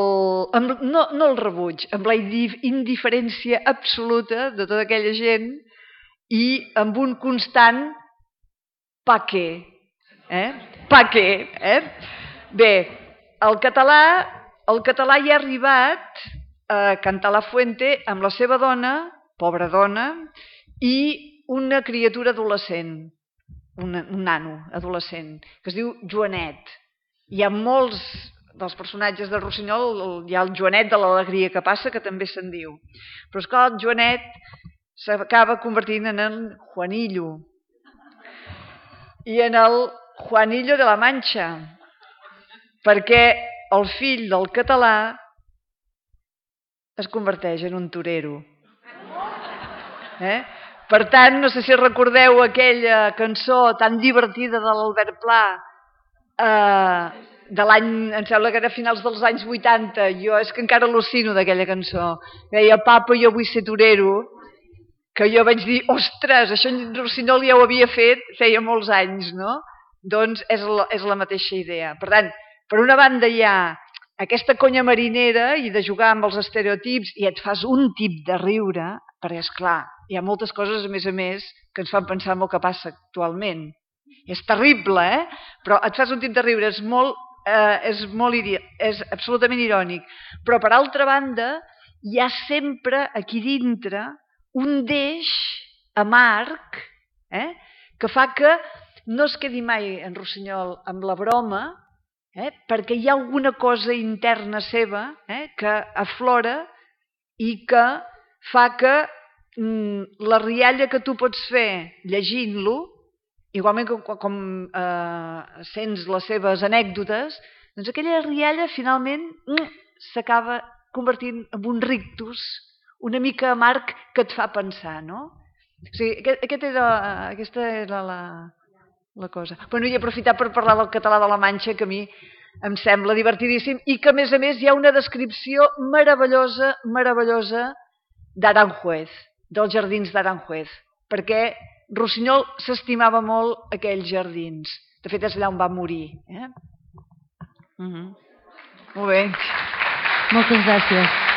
amb, no, no el rebuig, amb la indiferència absoluta de tota aquella gent i amb un constant pa què? Eh? Pa què? Eh? Bé, el català, el català hi ha arribat a cantar la fuente amb la seva dona, pobra dona, i una criatura adolescent, un, un nano adolescent, que es diu Joanet. Hi ha molts dels personatges de Rossinyol, hi ha el Joanet de l'alegria que passa, que també se'n diu. Però esclar, el Joanet s'acaba convertint en el Juanillo, i en el Juanillo de la Manxa, perquè el fill del català es converteix en un torero. Eh? Per tant, no sé si recordeu aquella cançó tan divertida de l'Albert Pla, eh, de l'any, em sembla que era a finals dels anys vuitanta, jo és que encara al·lucino d'aquella cançó, deia, papa, jo vull ser torero, que jo vaig dir, ostres, això en Rossinyol ja ho havia fet feia molts anys, no? Doncs és la, és la mateixa idea. Per tant, per una banda hi ha aquesta conya marinera i de jugar amb els estereotips i et fas un tip de riure, perquè, esclar, hi ha moltes coses, a més a més, que ens fan pensar en el que passa actualment. És terrible, eh? Però et fas un tip de riure, és molt, eh, és, molt és absolutament irònic. Però, per altra banda, hi ha sempre aquí dintre un deix amarg, eh, que fa que no es quedi mai en Rossinyol amb la broma, eh, perquè hi ha alguna cosa interna seva eh, que aflora i que fa que mm, la rialla que tu pots fer llegint-lo, igualment com, com eh, sents les seves anècdotes, doncs aquella rialla finalment mm, s'acaba convertint en un rictus una mica amarg que et fa pensar, no? O sigui, aquest, aquest era, aquesta era la, la cosa. Bueno, i aprofitar per parlar del català de la Manxa, que a mi em sembla divertidíssim, i que a més a més hi ha una descripció meravellosa, meravellosa d'Aranjuez, dels jardins d'Aranjuez, perquè Rossinyol s'estimava molt aquells jardins. De fet, és allà on va morir. Eh? Uh-huh. Molt bé. Moltes gràcies.